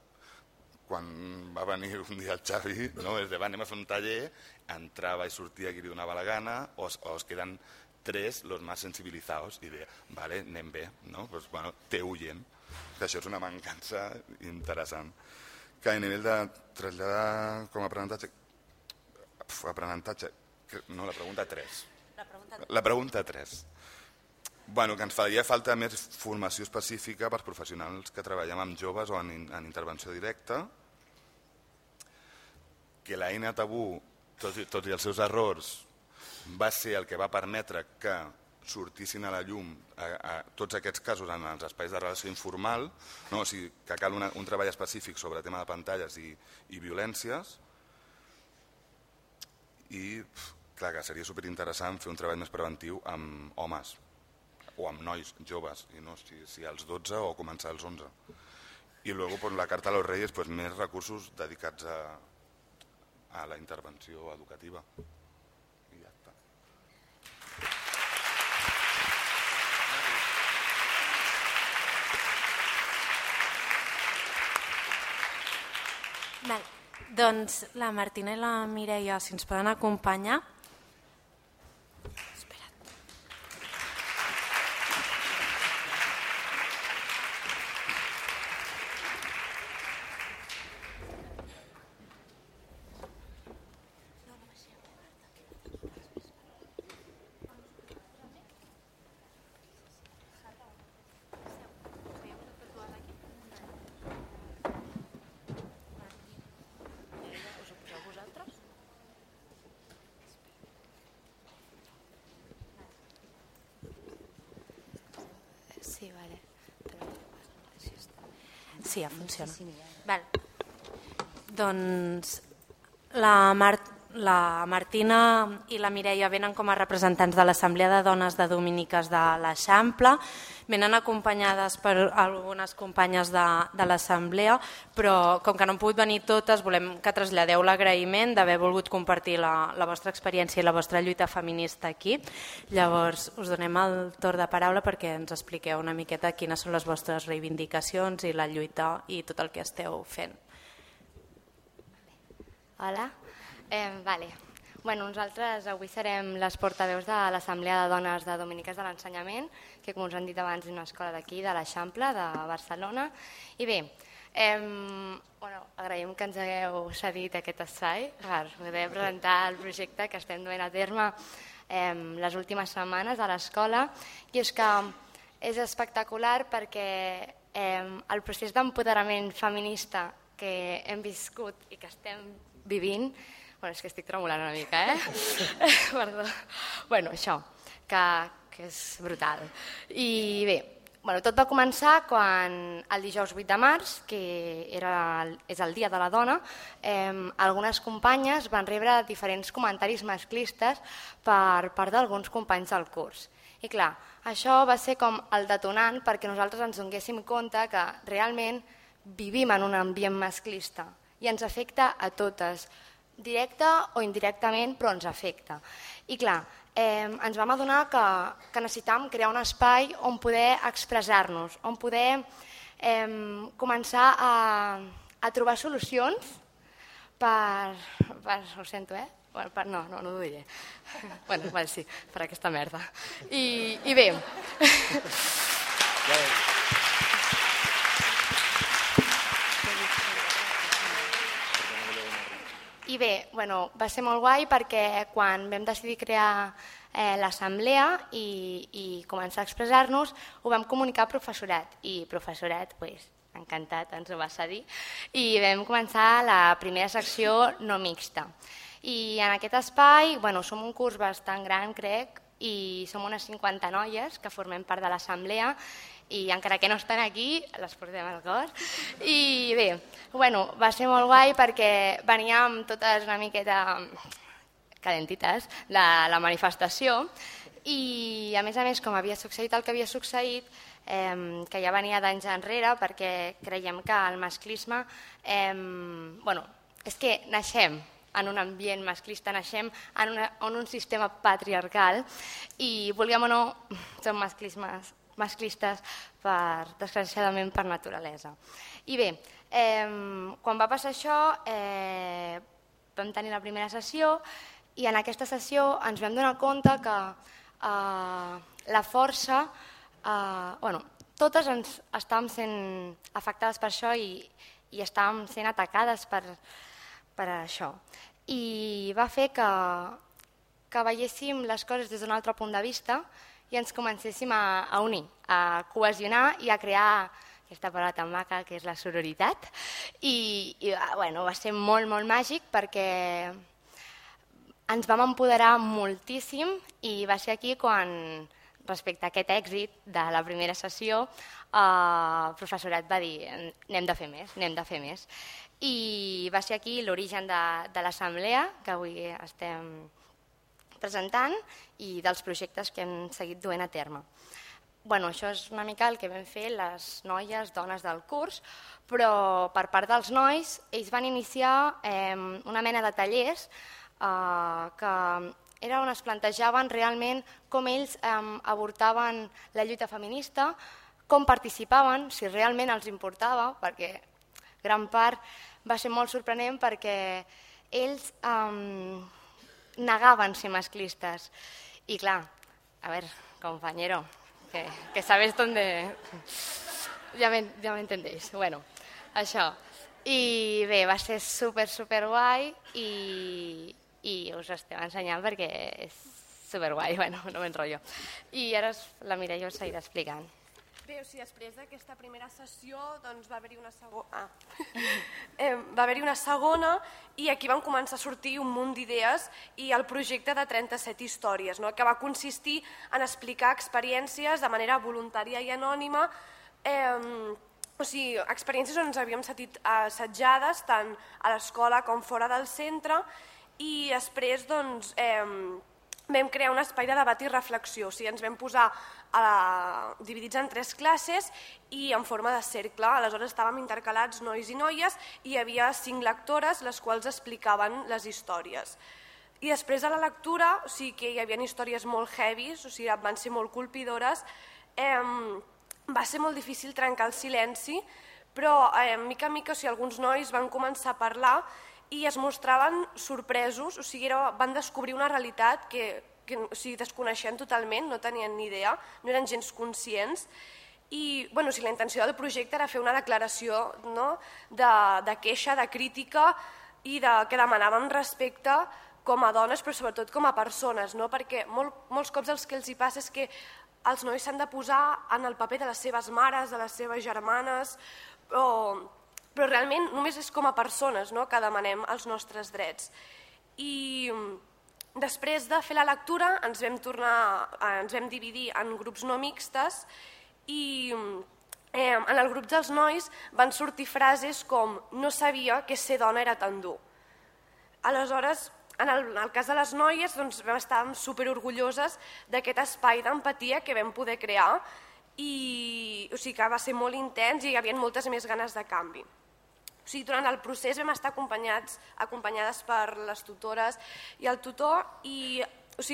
Quan va venir un dia el Xavi, no? És de, anem a fer un taller, entrava i sortia qui li donava la gana, o es queden tres los más sensibilizados i de, vale, anem bé, no? Pues, bueno, té huyen. Això és una mancança interessant. Que a nivell de traslladar com a aprenentatge, no, la pregunta 3. La pregunta 3. Bueno, que ens faria falta més formació específica per professionals que treballem amb joves o en intervenció directa, que l'eina tabú, tot i els seus errors, va ser el que va permetre que sortissin a la llum a tots aquests casos en els espais de relació informal, no? O sigui, que cal un treball específic sobre el tema de pantalles i violències, i clar, que seria superinteressant fer un treball més preventiu amb homes o amb nois joves, i no si als 12 o començar als 11. I després la carta a los Reyes, més recursos dedicats a la intervenció educativa. I ja està. Doncs la Martina i la Mireia, si ens poden acompanyar. Sí, vale. Sí, ja funciona. Val. Doncs la Martina i la Mireia venen com a representants de l'Assemblea de Dones de Dominiques de l'Eixample, venen acompanyades per algunes companyes de l'Assemblea, però com que no han pogut venir totes, volem que traslladeu l'agraïment d'haver volgut compartir la vostra experiència i la vostra lluita feminista aquí. Llavors, us donem el torn de paraula perquè ens expliqueu una miqueta quines són les vostres reivindicacions i la lluita i tot el que esteu fent. Hola. Nosaltres avui serem les portaveus de l'Assemblea de Dones de Dominiques de l'Ensenyament, que com us han dit abans és una escola d'aquí, de l'Eixample, de Barcelona. I bé, agraïm que ens hagueu cedit aquest espai per poder presentar el projecte que estem duent a terme les últimes setmanes a l'escola. I és que és espectacular perquè el procés d'empoderament feminista que hem viscut i que estem vivint, és que estic tremolant una mica, Perdó. Això, que és brutal. I bé, tot va començar quan el dijous 8 de març, que és el Dia de la Dona, algunes companyes van rebre diferents comentaris masclistes per part d'alguns companys del curs. I clar, això va ser com el detonant perquè nosaltres ens donéssim compte que realment vivim en un ambient masclista i ens afecta a totes, directa o indirectament, però ens afecta. I clar, ens vam adonar que necessitàvem crear un espai on poder expressar-nos, on poder començar a trobar solucions per... Ho sento, No ho diré. Sí, per aquesta merda. I bé... I bé, va ser molt guai perquè quan vam decidir crear l'assemblea i començar a expressar-nos, ho vam comunicar al professorat i professorat, encantat, ens ho va cedir, i vam començar la primera secció no mixta. I en aquest espai, som un curs bastant gran, crec, i som unes 50 noies que formem part de l'assemblea i encara que no estan aquí, les portem al cor. I bé, va ser molt guai perquè veníem totes una miqueta calentites de la manifestació i a més, com havia succeït el que havia succeït, que ja venia d'anys enrere perquè creiem que el masclisme... és que naixem en un ambient masclista, naixem en un sistema patriarcal i, vulguem o no, som masclistes desgraciadament per naturalesa. I bé, quan va passar això vam tenir la primera sessió i en aquesta sessió ens vam donar compte que la força, totes ens estàvem sent afectades per això i estàvem sent atacades per això. I va fer que veiéssim les coses des d'un altre punt de vista i ens comencéssim a unir, a cohesionar i a crear aquesta paraula tan maca que és la sororitat. I va ser molt, molt màgic perquè ens vam empoderar moltíssim i va ser aquí quan, respecte a aquest èxit de la primera sessió, el professorat va dir anem de fer més. I va ser aquí l'origen de l'assemblea que avui estem presentant i dels projectes que hem seguit duent a terme. Això és una mica el que vam fer les noies, dones del curs, però per part dels nois ells van iniciar una mena de tallers que era on es plantejaven realment com ells abordaven la lluita feminista, com participaven, si realment els importava, perquè gran part va ser molt sorprenent perquè ells negaven ser masclistes. I clar, a ver, compañero, que sabes dónde... Ja me entendéis. Això. I bé, va ser super guai i us estem ensenyant perquè és super guai, no m'enrotllo. I ara la Mireia us seguirà explicant. Bé, o sigui, després d'aquesta primera sessió doncs, va haver-hi una segona. Va haver-hi una segona i aquí van començar a sortir un munt d'idees i el projecte de 37 històries, no? Que va consistir en explicar experiències de manera voluntària i anònima, o sigui, experiències on ens havíem sentit assetjades tant a l'escola com fora del centre i després doncs, vam crear un espai de debat i reflexió, o sigui, ens vam posar dividits en 3 classes i en forma de cercle. Aleshores estàvem intercalats nois i noies i hi havia 5 lectores les quals explicaven les històries. I després de la lectura, o sigui que hi havia històries molt heavies, o sigui, van ser molt colpidores, va ser molt difícil trencar el silenci, però mica en mica alguns nois van començar a parlar i es mostraven sorpresos, o sigui, van descobrir una realitat que desconeixien totalment, no tenien ni idea, no eren gens conscients. I la intenció del projecte era fer una declaració de queixa, de crítica i que demanàvem respecte com a dones, però sobretot com a persones, perquè molts cops el que els hi passa és que els nois s'han de posar en el paper de les seves mares, de les seves germanes, però realment només és com a persones que demanem els nostres drets. I després de fer la lectura ens vam dividir en grups no mixtes i en el grup dels nois van sortir frases com «no sabia que ser dona era tan dur». Aleshores, en el cas de les noies, vam estar superorgulloses d'aquest espai d'empatia que vam poder crear i que va ser molt intens i hi havia moltes més ganes de canvi. Durant el procés vam estar acompanyades per les tutores i el tutor i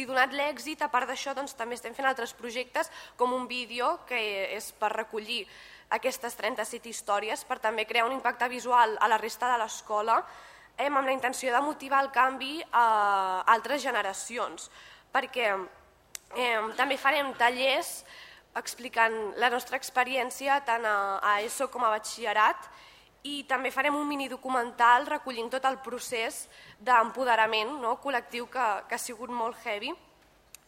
donat l'èxit, a part d'això també estem fent altres projectes com un vídeo que és per recollir aquestes 37 històries per també crear un impacte visual a la resta de l'escola amb la intenció de motivar el canvi a altres generacions, perquè també farem tallers explicant la nostra experiència tant a ESO com a batxillerat i també farem un minidocumental recollint tot el procés d'empoderament col·lectiu que ha sigut molt heavy,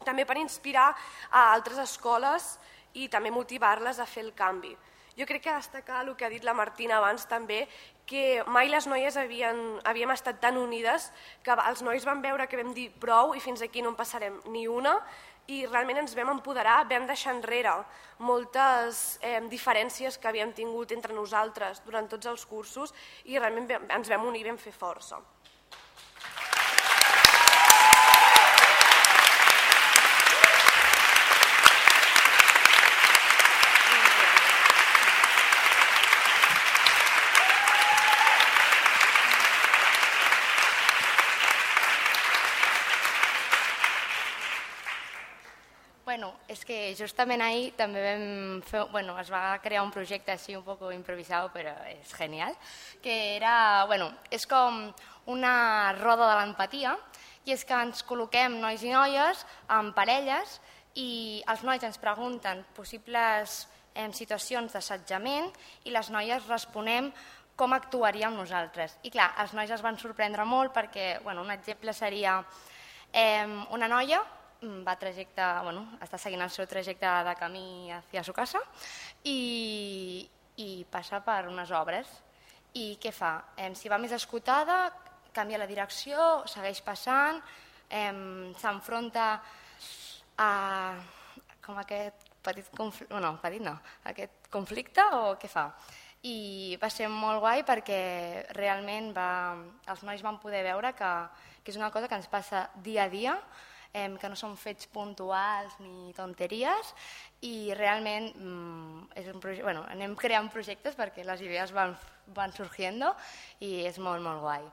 també per inspirar a altres escoles i també motivar-les a fer el canvi. Jo crec que destacar el que ha dit la Martina abans també, que mai les noies havíem estat tan unides que els nois van veure que vam dir prou i fins aquí no en passarem ni una i realment ens vam empoderar, vam deixar enrere moltes diferències que havíem tingut entre nosaltres durant tots els cursos i realment ens vam unir i vam fer força. És que justament ahir també es va crear un projecte així un poc improvisat, però és genial, que era, és com una roda de l'empatia, i és que ens col·loquem nois i noies en parelles i els nois ens pregunten possibles situacions d'assetjament i les noies responem com actuaríem nosaltres. I clar, els nois es van sorprendre molt perquè un exemple seria una noia està seguint el seu trajecte de camí hacia su casa i passa per unes obres. I què fa? Si va més escotada, canvia la direcció, segueix passant, s'enfronta a aquest aquest conflicte o què fa? I va ser molt guai perquè realment els nois van poder veure que és una cosa que ens passa dia a dia, que no són fets puntuals ni tonteries i realment anem creant projectes perquè les idees van sorgint i és molt, molt guai.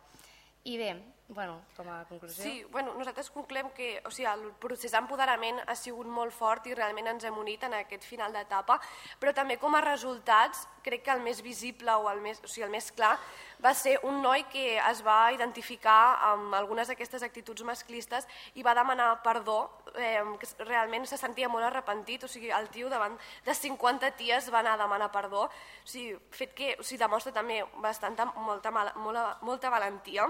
I bé, com a conclusió... Sí, nosaltres concloem que el procés d'empoderament ha sigut molt fort i realment ens hem unit en aquest final d'etapa, però també com a resultats crec que el més visible o el més clar va ser un noi que es va identificar amb algunes d'aquestes actituds masclistes i va demanar perdó, que realment se sentia molt arrepentit, el tio davant de 50 ties va anar a demanar perdó, fet que demostra també molta valentia.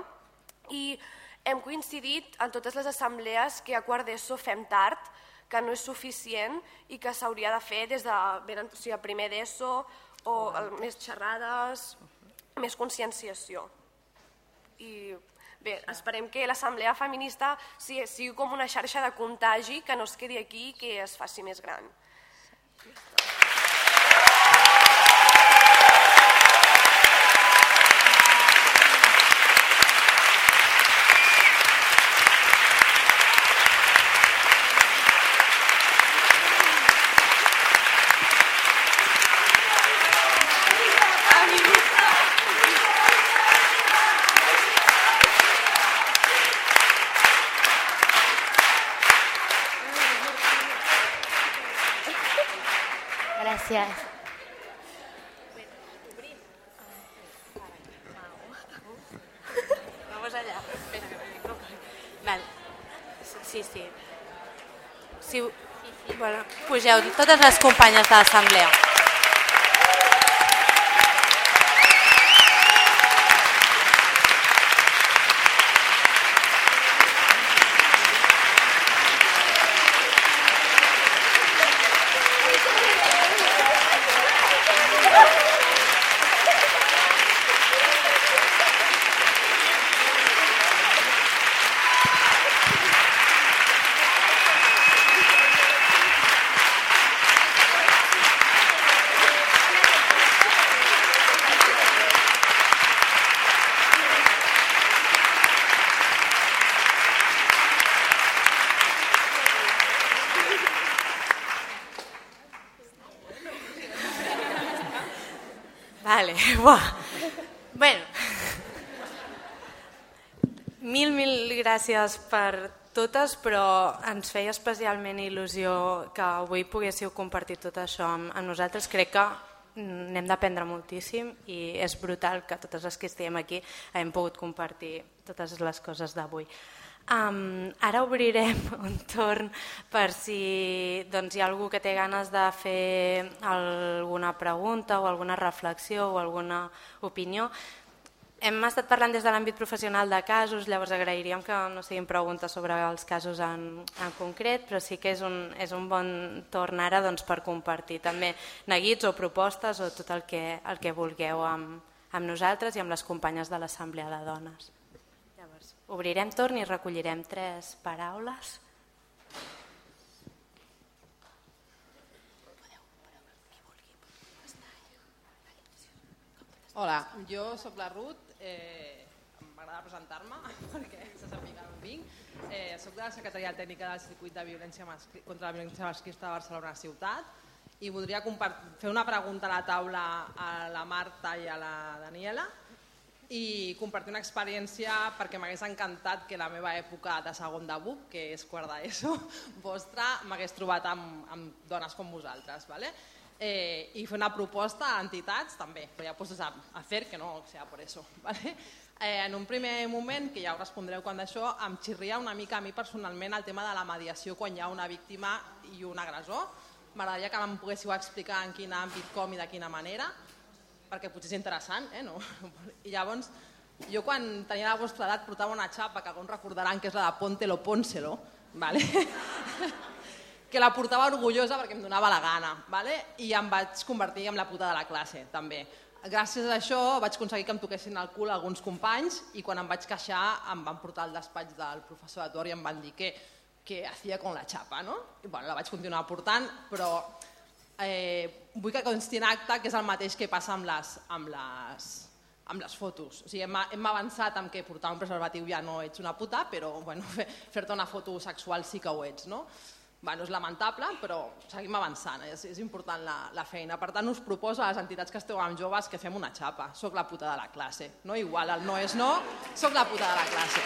I hem coincidit en totes les assemblees que a quart d'ESO fem tard, que no és suficient i que s'hauria de fer des de primer d'ESO o més xerrades, més conscienciació. I bé, esperem que l'Assemblea Feminista sigui com una xarxa de contagi, que no es quedi aquí i que es faci més gran. Gràcies. Vamos allá. Vale. Sí. Sí. Bueno, pugeu totes les companyes de l'assemblea. Vale, buah. Bueno, mil gràcies per totes, però ens feia especialment il·lusió que avui poguéssiu compartir tot això amb nosaltres. Crec que n'hem d'aprendre moltíssim i és brutal que totes les que estem aquí hem pogut compartir totes les coses d'avui. Ara obrirem un torn per si hi ha algú que té ganes de fer alguna pregunta o alguna reflexió o alguna opinió. Hem estat parlant des de l'àmbit professional de casos, llavors agrairíem que no siguin preguntes sobre els casos en concret, però sí que és un bon torn ara per compartir també neguits o propostes o tot el que vulgueu amb nosaltres i amb les companyes de l'Assemblea de Dones. Obrirem torn i recollirem 3 paraules. Hola, jo sóc la Ruth, m'agrada presentar-me perquè se sàpiga d'on vinc. Soc de la Secretaria Tècnica del Circuit de Violència contra la Violència Masclista de Barcelona Ciutat i voldria fer una pregunta a la taula a la Marta i a la Daniela i compartir una experiència perquè m'hagués encantat que la meva època de segon de BUP, que és quart d'ESO, vostra, m'hagués trobat amb dones com vosaltres. I fer una proposta a entitats també, però ja poses a fer que no sea por eso. En un primer moment, que ja ho respondreu quan d'això, em xirria una mica a mi personalment el tema de la mediació quan hi ha una víctima i un agressor. M'agradaria que em poguéssiu explicar en quin àmbit, com i de quina manera, perquè potser és interessant, I llavors, jo quan tenia la vostra edat portava una xapa que alguns recordaran que és la de Póntelo, Pónselo, que la portava orgullosa perquè em donava la gana, i em vaig convertir en la puta de la classe, també. Gràcies a això vaig aconseguir que em toquessin el cul alguns companys i quan em vaig queixar em van portar al despatx del professor de torn i em van dir què hacía con la xapa, I la vaig continuar portant, però vull que consti en acte que és el mateix que passa amb les fotos. Hem avançat en que portar un preservatiu ja no ets una puta, però fer-te una foto sexual sí que ho ets. És lamentable, però seguim avançant, és important la feina. Per tant, us proposo a les entitats que esteu amb joves que fem una xapa. Soc la puta de la classe. Igual el no és no, soc la puta de la classe.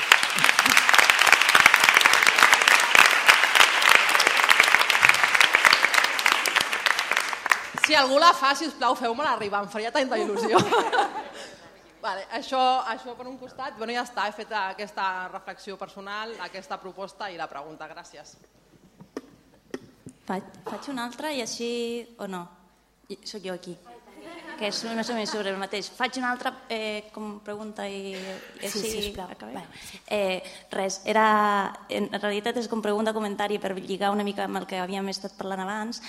Si algú la fa, sisplau, feu-me-la arribar, em faria tanta il·lusió. Això per un costat, ja està, he fet aquesta reflexió personal, aquesta proposta i la pregunta, gràcies. Faig una altra i així, o no? Soc jo aquí. que és més o menys sobre el mateix. Faig una altra pregunta i Sí, sisplau. acabem. Res, en realitat és com pregunta, comentari per lligar una mica amb el que havíem estat parlant abans.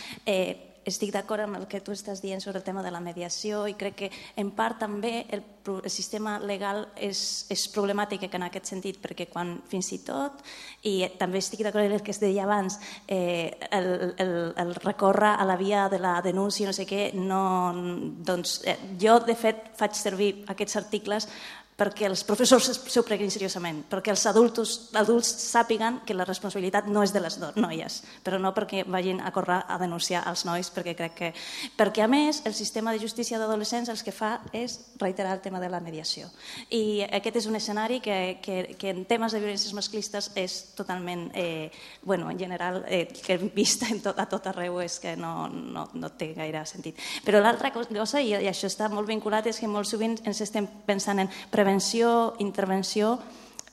Estic d'acord amb el que tu estàs dient sobre el tema de la mediació i crec que en part també el sistema legal és problemàtic en aquest sentit, perquè quan fins i tot, i també estic d'acord amb el que es deia abans, el recórrer a la via de la denúncia, no sé què, jo de fet faig servir aquests articles perquè els professors s'ho prenguin seriosament, perquè els adults sàpiguen que la responsabilitat no és de les noies, però no perquè vagin a córrer a denunciar els nois, perquè crec que... Perquè, a més, el sistema de justícia d'adolescents el que fa és reiterar el tema de la mediació. I aquest és un escenari que en temes de violències masclistes és totalment, en general, que hem vist a tot arreu és que no té gaire sentit. Però l'altra cosa, i això està molt vinculat, és que molt sovint ens estem pensant en prevenció, intervenció,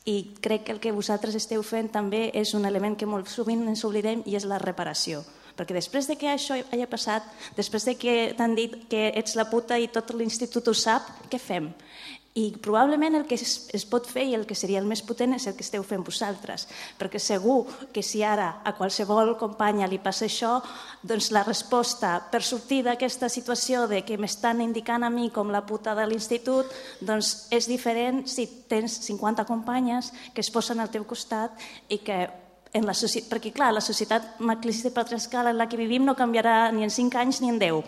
i crec que el que vosaltres esteu fent també és un element que molt sovint ens oblidem i és la reparació. Perquè després de que això hagi passat, després de que t'han dit que ets la puta i tot l'institut ho sap, què fem? I probablement el que es pot fer i el que seria el més potent és el que esteu fent vosaltres, perquè segur que si ara a qualsevol companya li passa això, doncs la resposta per sortir d'aquesta situació de que m'estan indicant a mi com la puta de l'institut doncs és diferent si tens 50 companyes que es posen al teu costat i que perquè clar, la societat masclista i patriarcal en la que vivim no canviarà ni en 5 anys ni en 10.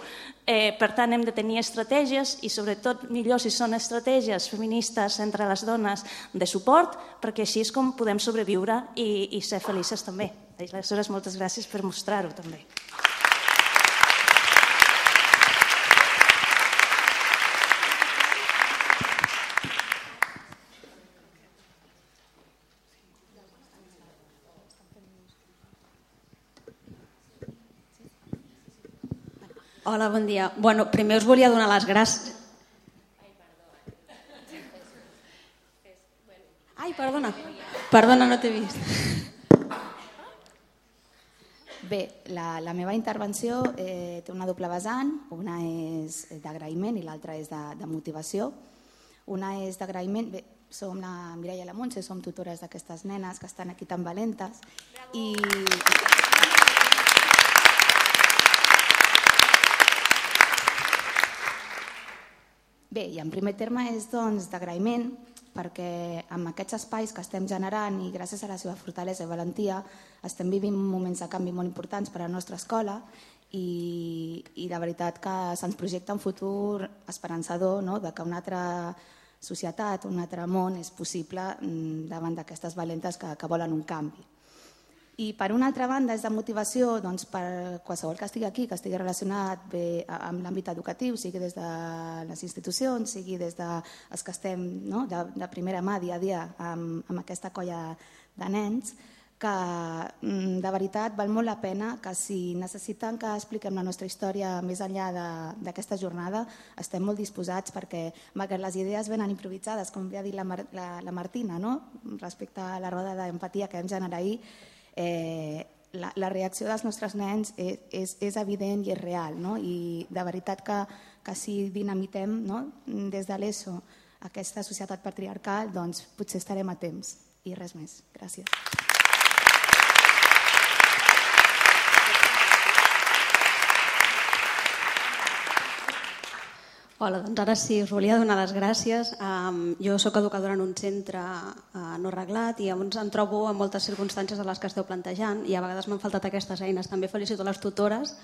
Per tant, hem de tenir estratègies i sobretot millor si són estratègies feministes entre les dones de suport, perquè així és com podem sobreviure i ser felices també. Aleshores, moltes gràcies per mostrar-ho també. Hola, bon dia. Primer us volia donar les gràcies. Ai, perdona. Perdona, no t'he vist. Bé, la meva intervenció té una doble vessant. Una és d'agraïment i l'altra és de motivació. Una és d'agraïment. Bé, som la Mireia i la Montse, som tutores d'aquestes nenes que estan aquí tan valentes. I... Bé, i en primer terme és d'agraïment perquè amb aquests espais que estem generant i gràcies a la seva fortalesa i valentia estem vivint moments de canvi molt importants per a la nostra escola i de veritat que se'ns projecta un futur esperançador de que una altra societat, un altre món és possible davant d'aquestes valentes que volen un canvi. I per una altra banda és de motivació per qualsevol que estigui aquí, que estigui relacionat bé amb l'àmbit educatiu, sigui des de les institucions, sigui des dels que estem de primera mà dia a dia amb aquesta colla de nens, que de veritat val molt la pena que si necessiten que expliquem la nostra història més enllà d'aquesta jornada, estem molt disposats perquè, malgrat les idees venen improvisades, com bé ha dit la Martina, respecte a la roda d'empatia que vam generar ahir, la reacció dels nostres nens és evident i és real, i de veritat que si dinamitem des de l'ESO aquesta societat patriarcal, doncs potser estarem a temps i res més. Gràcies. Hola, doncs ara sí, us volia donar les gràcies. Jo soc educadora en un centre no reglat i em trobo en moltes circumstàncies de les que esteu plantejant i a vegades m'han faltat aquestes eines. També felicito les tutores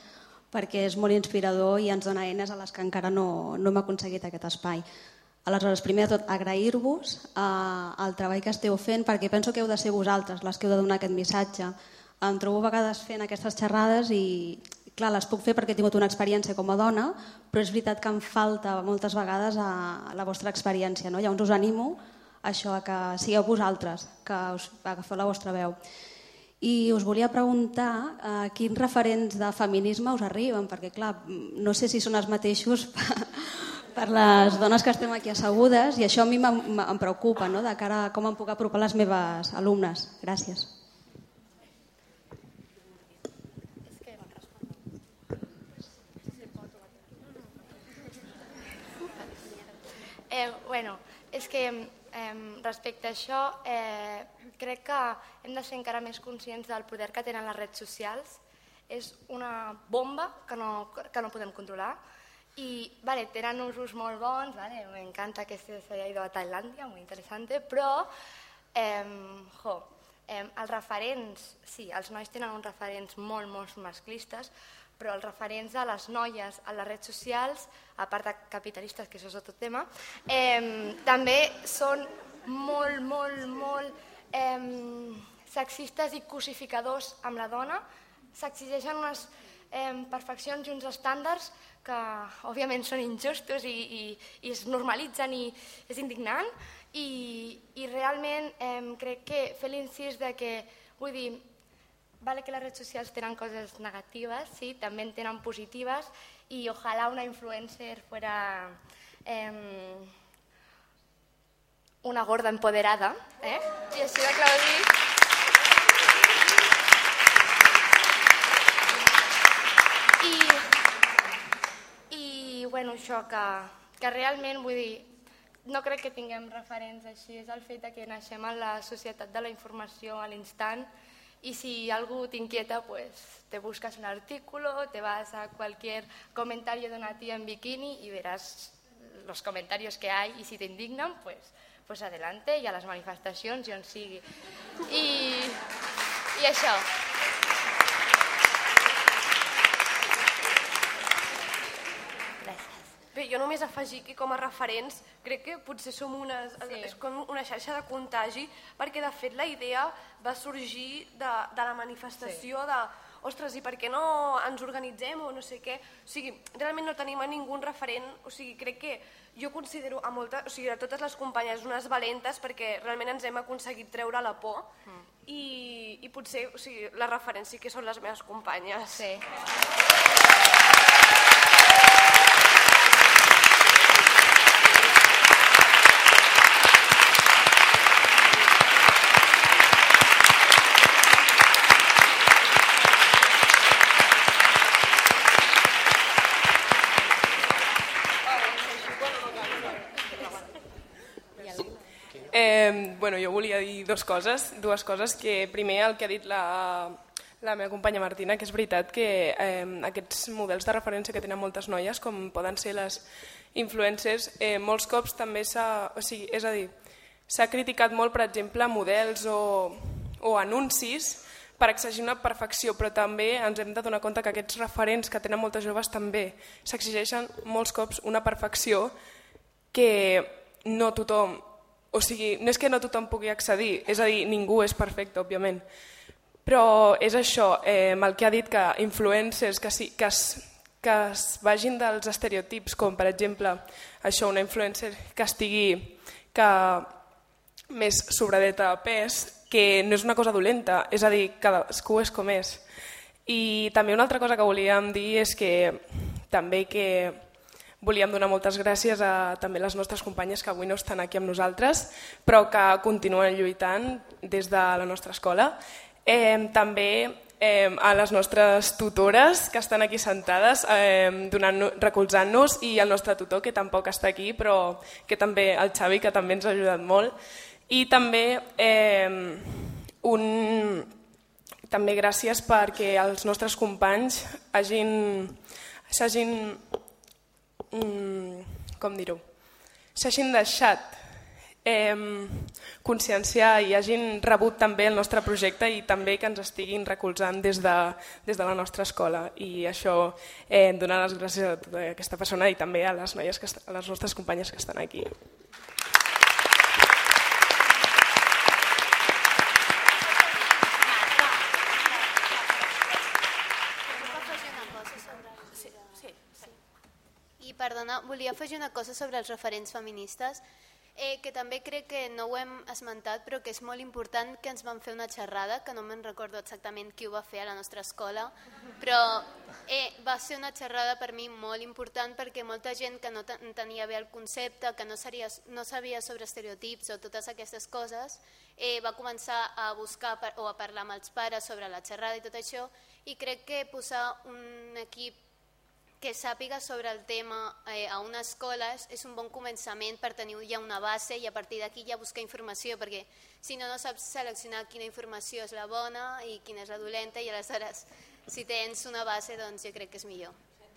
perquè és molt inspirador i ens dona eines a les que encara no hem aconseguit aquest espai. Aleshores, primer de tot, agrair-vos el treball que esteu fent perquè penso que heu de ser vosaltres les que heu de donar aquest missatge. Em trobo a vegades fent aquestes xerrades i clar, les puc fer perquè he tingut una experiència com a dona, però és veritat que em falta moltes vegades la vostra experiència. Llavors us animo a això, a que sigueu vosaltres, que agafeu la vostra veu. I us volia preguntar quins referents de feminisme us arriben, perquè clar, no sé si són els mateixos per les dones que estem aquí assegudes i això a mi em preocupa, de cara a com em puc apropar a les meves alumnes. Gràcies. És que respecte a això crec que hem de ser encara més conscients del poder que tenen les redes socials. És una bomba que no podem controlar i tenen usos molt bons, m'encanta que se haya ido a Tailandia, muy interesante, però els referents, sí, els nois tenen uns referents molt masclistes, però els referents a les noies a les redes socials, a part de capitalistes, que això és otro tema, també són molt sexistes i cosificadors amb la dona. S'exigeixen unes perfeccions i uns estàndards que òbviament són injustos i es normalitzen i és indignant i realment crec que fer l'incís de que, vull dir, vale que les redes socials tenen coses negatives, sí, també en tenen positives i ojalà una influencer fuera una gorda empoderada, i així de clar ho dic. I bueno, això que realment, vull dir, no crec que tinguem referents així, és el fet que naixem en la societat de la informació a l'instant y si algo te inquieta, pues te buscas un artículo, te vas a cualquier comentario de una tía en bikini y verás los comentarios que hay y si te indignan, pues adelante y a les manifestacions i on sigui. I això. Bé, jo només afegir que com a referents crec que potser som és com una xarxa de contagi, perquè de fet la idea va sorgir de la manifestació de ostres, i per què no ens organitzem o no sé què. O sigui, realment no tenim a ningú referent, o sigui, crec que jo considero a totes les companyes unes valentes perquè realment ens hem aconseguit treure la por i potser les referents sí que són les meves companyes. Sí. Jo volia dir dues coses, que primer el que ha dit la meva companya Martina, que és veritat que aquests models de referència que tenen moltes noies, com poden ser les influencers, molts cops també s'ha criticat molt, per exemple, models o anuncis per exigir una perfecció, però també ens hem de donar compte que aquests referents que tenen moltes joves també s'exigeixen molts cops una perfecció que no tothom, o sigui, no és que no tothom pugui accedir, és a dir, ningú és perfecte, òbviament, però és això, el que ha dit, que influencers que es vagin dels estereotips, com per exemple això, una influencer que estigui més sobradeta de pes, que no és una cosa dolenta, és a dir, cadascú és com és. I també una altra cosa que volíem dir és que també volíem donar moltes gràcies a també les nostres companyes que avui no estan aquí amb nosaltres, però que continuen lluitant des de la nostra escola. També a les nostres tutores que estan aquí sentades recolzant-nos i el nostre tutor que tampoc està aquí, però que també el Xavi, que també ens ha ajudat molt. I també gràcies perquè els nostres companys s'hagin deixat conscienciar i hagin rebut també el nostre projecte i també que ens estiguin recolzant des de la nostra escola. I això, donar les gràcies a tota aquesta persona i també a les noies, a les nostres companyes que estan aquí. Perdona, volia afegir una cosa sobre els referents feministes, que també crec que no ho hem esmentat, però que és molt important, que ens van fer una xerrada, que no me'n recordo exactament qui ho va fer a la nostra escola, però va ser una xerrada per mi molt important perquè molta gent que no tenia bé el concepte, que no sabia sobre estereotips o totes aquestes coses, va començar a buscar o a parlar amb els pares sobre la xerrada i tot això, i crec que posar un equip que sàpiga sobre el tema a una escola és un bon començament per tenir ja una base i a partir d'aquí ja buscar informació, perquè si no, no saps seleccionar quina informació és la bona i quina és la dolenta, i aleshores si tens una base doncs jo crec que és millor.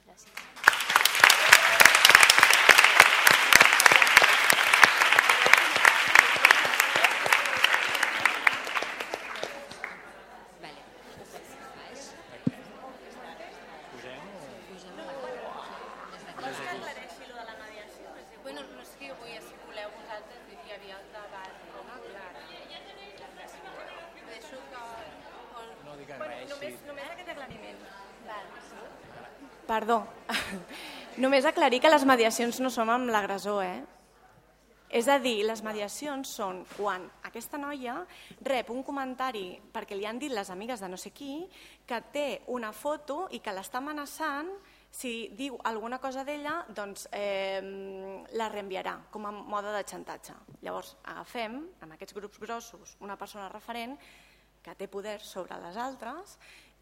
Gràcies. Perdó, només aclarir que les mediacions no són amb l'agressor, És a dir, les mediacions són quan aquesta noia rep un comentari perquè li han dit les amigues de no sé qui que té una foto i que l'està amenaçant, si diu alguna cosa d'ella, doncs la reenviarà com a mode de xantatge. Llavors agafem, amb aquests grups grossos, una persona referent que té poder sobre les altres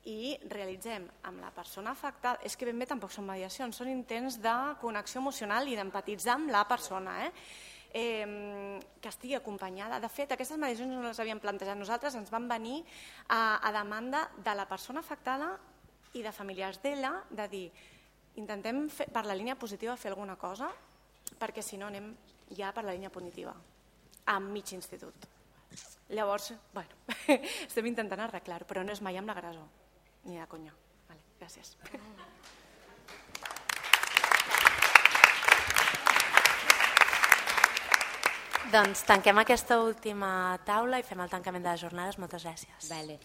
i realitzem amb la persona afectada, és que ben bé tampoc són mediacions, són intents de connexió emocional i d'empatitzar amb la persona, que estigui acompanyada. De fet, aquestes mediacions no les havíem plantejat nosaltres, ens van venir a demanda de la persona afectada i de familiars d'ella, de dir, intentem per la línia positiva fer alguna cosa, perquè si no anem ja per la línia punitiva, a mig institut. Llavors, bueno, estem intentant arreglar-ho, però no és mai amb l'agressor, ni de conya. Vale, gràcies. Doncs tanquem aquesta última taula i fem el tancament de les jornades. Moltes gràcies. Vale.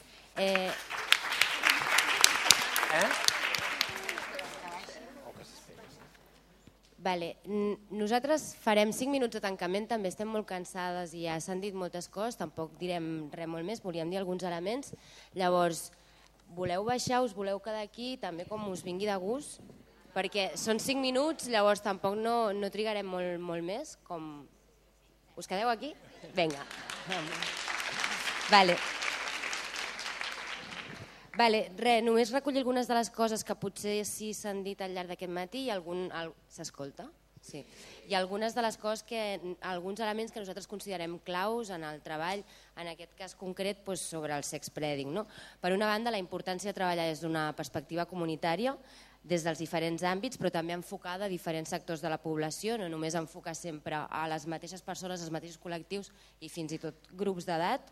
Vale. Nosaltres farem 5 minuts de tancament, també estem molt cansades i ja s'han dit moltes coses, tampoc direm res molt més, volíem dir alguns elements. Llavors, voleu baixar, us voleu quedar aquí, també com us vingui de gust, perquè són 5 minuts, llavors tampoc no trigarem molt més, com... Us quedeu aquí? Vinga. Vale. Només recollir algunes de les coses que potser sí s'han dit al llarg d'aquest matí i s'escolta? Sí. I algunes de les coses alguns elements que nosaltres considerem claus en el treball, en aquest cas concret sobre el sexpreading. Per una banda, la importància de treballar des d'una perspectiva comunitària, des dels diferents àmbits, però també enfocada a diferents sectors de la població, no només enfocar sempre a les mateixes persones, als mateixos col·lectius i fins i tot grups d'edat.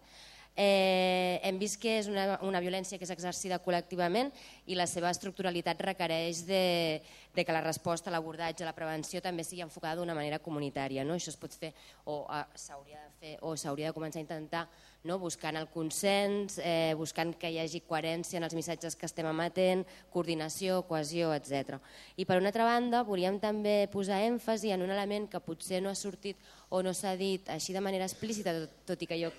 Hem vist que és una violència que és exercida col·lectivament i la seva estructuralitat requereix que la resposta, l'abordatge, la prevenció també sigui enfocada d'una manera comunitària. Això es pot fer o s'hauria de començar a intentar buscant el consens, buscant que hi hagi coherència en els missatges que estem emetent, coordinació, cohesió, etc. I per una altra banda, volíem també posar èmfasi en un element que potser no ha sortit o no s'ha dit així de manera explícita, tot i que jo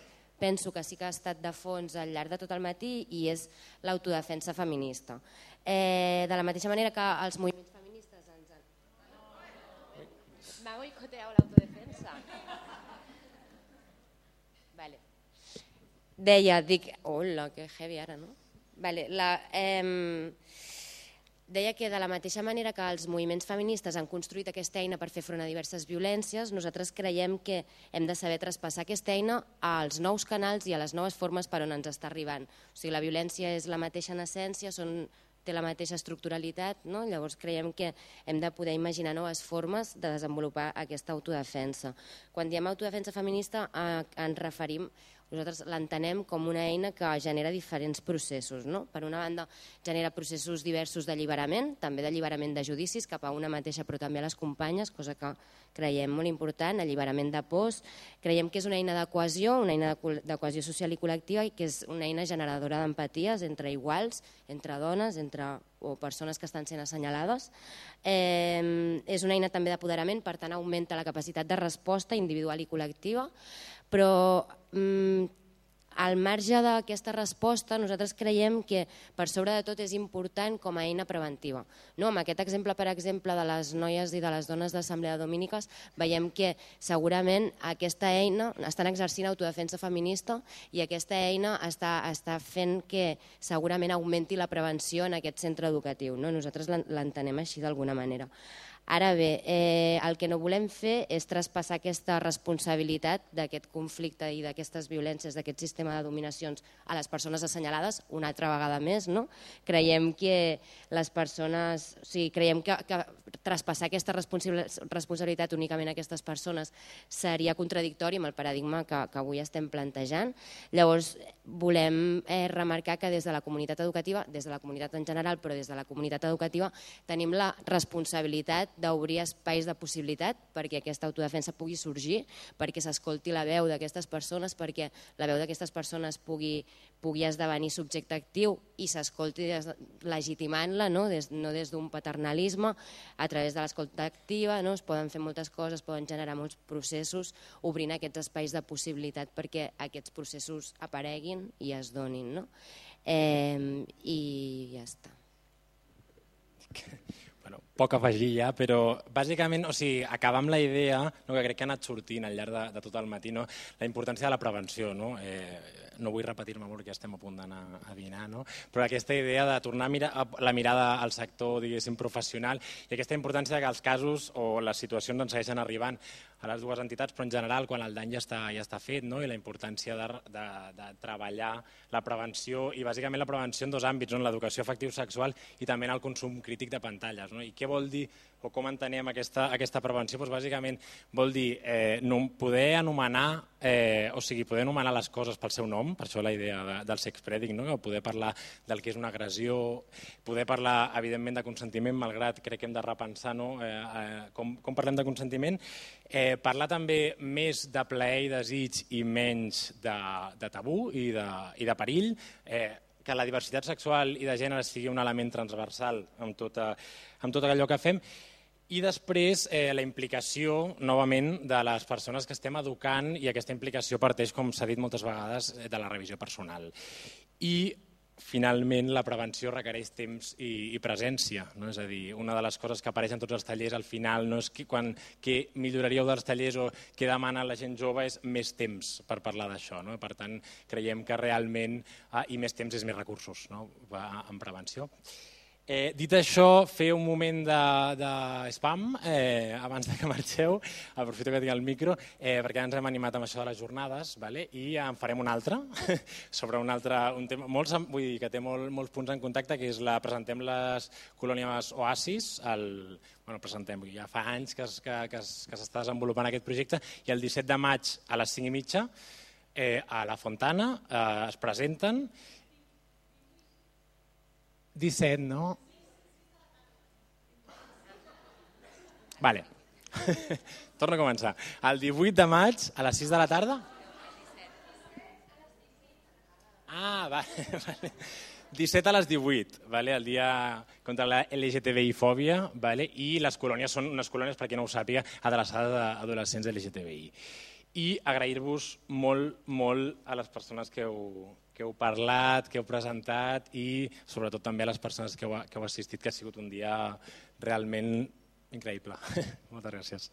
penso que sí que ha estat de fons al llarg de tot el matí, i és l'autodefensa feminista. De la mateixa manera que els moviments feministes ens han... M'ha boicoteado l'autodefensa. Vale. Deia, hola, que heavy ara, no? Vale, deia que de la mateixa manera que els moviments feministes han construït aquesta eina per fer front a diverses violències, nosaltres creiem que hem de saber traspassar aquesta eina als nous canals i a les noves formes per on ens està arribant. O sigui, la violència és la mateixa en essència, té la mateixa estructuralitat, llavors creiem que hem de poder imaginar noves formes de desenvolupar aquesta autodefensa. Quan diem autodefensa feminista ens referim, nosaltres l'entenem com una eina que genera diferents processos. Per una banda, genera processos diversos d'alliberament, també d'alliberament de judicis cap a una mateixa però també a les companyes, cosa que creiem molt important, alliberament de pors. Creiem que és una eina de cohesió, una eina de cohesió social i col·lectiva, i que és una eina generadora d'empaties entre iguals, entre dones, o persones que estan sent assenyalades. És una eina també d'apoderament, per tant augmenta la capacitat de resposta individual i col·lectiva, però al marge d'aquesta resposta, nosaltres creiem que per sobre de tot és important com a eina preventiva. Amb aquest exemple, per exemple, de les noies i de les dones d'Assemblea de Dominiques, veiem que segurament aquesta eina estan exercint autodefensa feminista i aquesta eina està fent que segurament augmenti la prevenció en aquest centre educatiu. Nosaltres l'entenem així d'alguna manera. Ara bé, el que no volem fer és traspassar aquesta responsabilitat d'aquest conflicte i d'aquestes violències, d'aquest sistema de dominacions a les persones assenyalades una altra vegada més. Creiem que les persones, creiem que traspassar aquesta responsabilitat únicament a aquestes persones seria contradictori amb el paradigma que avui estem plantejant. Llavors, volem remarcar que des de la comunitat educativa, des de la comunitat en general, però des de la comunitat educativa, tenim la responsabilitat d'obrir espais de possibilitat perquè aquesta autodefensa pugui sorgir, perquè s'escolti la veu d'aquestes persones, perquè la veu d'aquestes persones pugui esdevenir subjecte actiu i s'escolti legitimant-la, no des d'un paternalisme, a través de l'escolta activa, es poden fer moltes coses, es poden generar molts processos, obrint aquests espais de possibilitat perquè aquests processos apareguin i es donin. I ja està. Poc a afegir ja, però bàsicament acabar amb la idea que crec que ha anat sortint al llarg de tot el matí, la importància de la prevenció. No vull repetir-me molt perquè estem a punt d'anar a dinar, però aquesta idea de tornar la mirada al sector professional i aquesta importància que els casos o les situacions ens segueixen arribant a les dues entitats, però en general quan el dany ja està fet, i la importància de treballar la prevenció i bàsicament la prevenció en dos àmbits, l'educació afectiu-sexual i també en el consum crític de pantalles. I què vol dir o com entenem aquesta prevenció? Bàsicament vol dir poder anomenar les coses pel seu nom, per això la idea del sexpredik, poder parlar del que és una agressió, poder parlar evidentment de consentiment, malgrat crec que hem de repensar com parlem de consentiment, parlar també més de plaer i desig i menys de tabú i de perill, que la diversitat sexual i de gènere sigui un element transversal amb tot allò que fem, i després la implicació, novament, de les persones que estem educant, i aquesta implicació parteix, com s'ha dit moltes vegades, de la revisió personal. I, finalment, la prevenció requereix temps i presència. És a dir, una de les coses que apareix en tots els tallers al final no és què milloraríeu dels tallers o què demana la gent jove, és més temps per parlar d'això. Per tant, creiem que realment i més temps és més recursos en prevenció. Dit això, fer un moment de spam abans que marxeu, aprofito que tinc el micro, perquè ens hem animat amb això de les jornades i en farem un altre sobre un tema que té molts punts en contacte, que és presentem les colònies Oasis, ja fa anys que s'està desenvolupant aquest projecte, i el 17 de maig a les 5:30 a la Fontana es presenten. 17, no? Vale. Torno a començar. El 18 de maig, a les 6 de la tarda? Vale. 17 a les 18, el dia contra la LGTBI-fòbia, i les colònies són unes colònies, per qui no ho sàpiga, adreçades a adolescents LGTBI. I agrair-vos molt, molt a les persones que heu parlat, que heu presentat i sobretot també a les persones que heu assistit, que ha sigut un dia realment increïble. Moltes gràcies.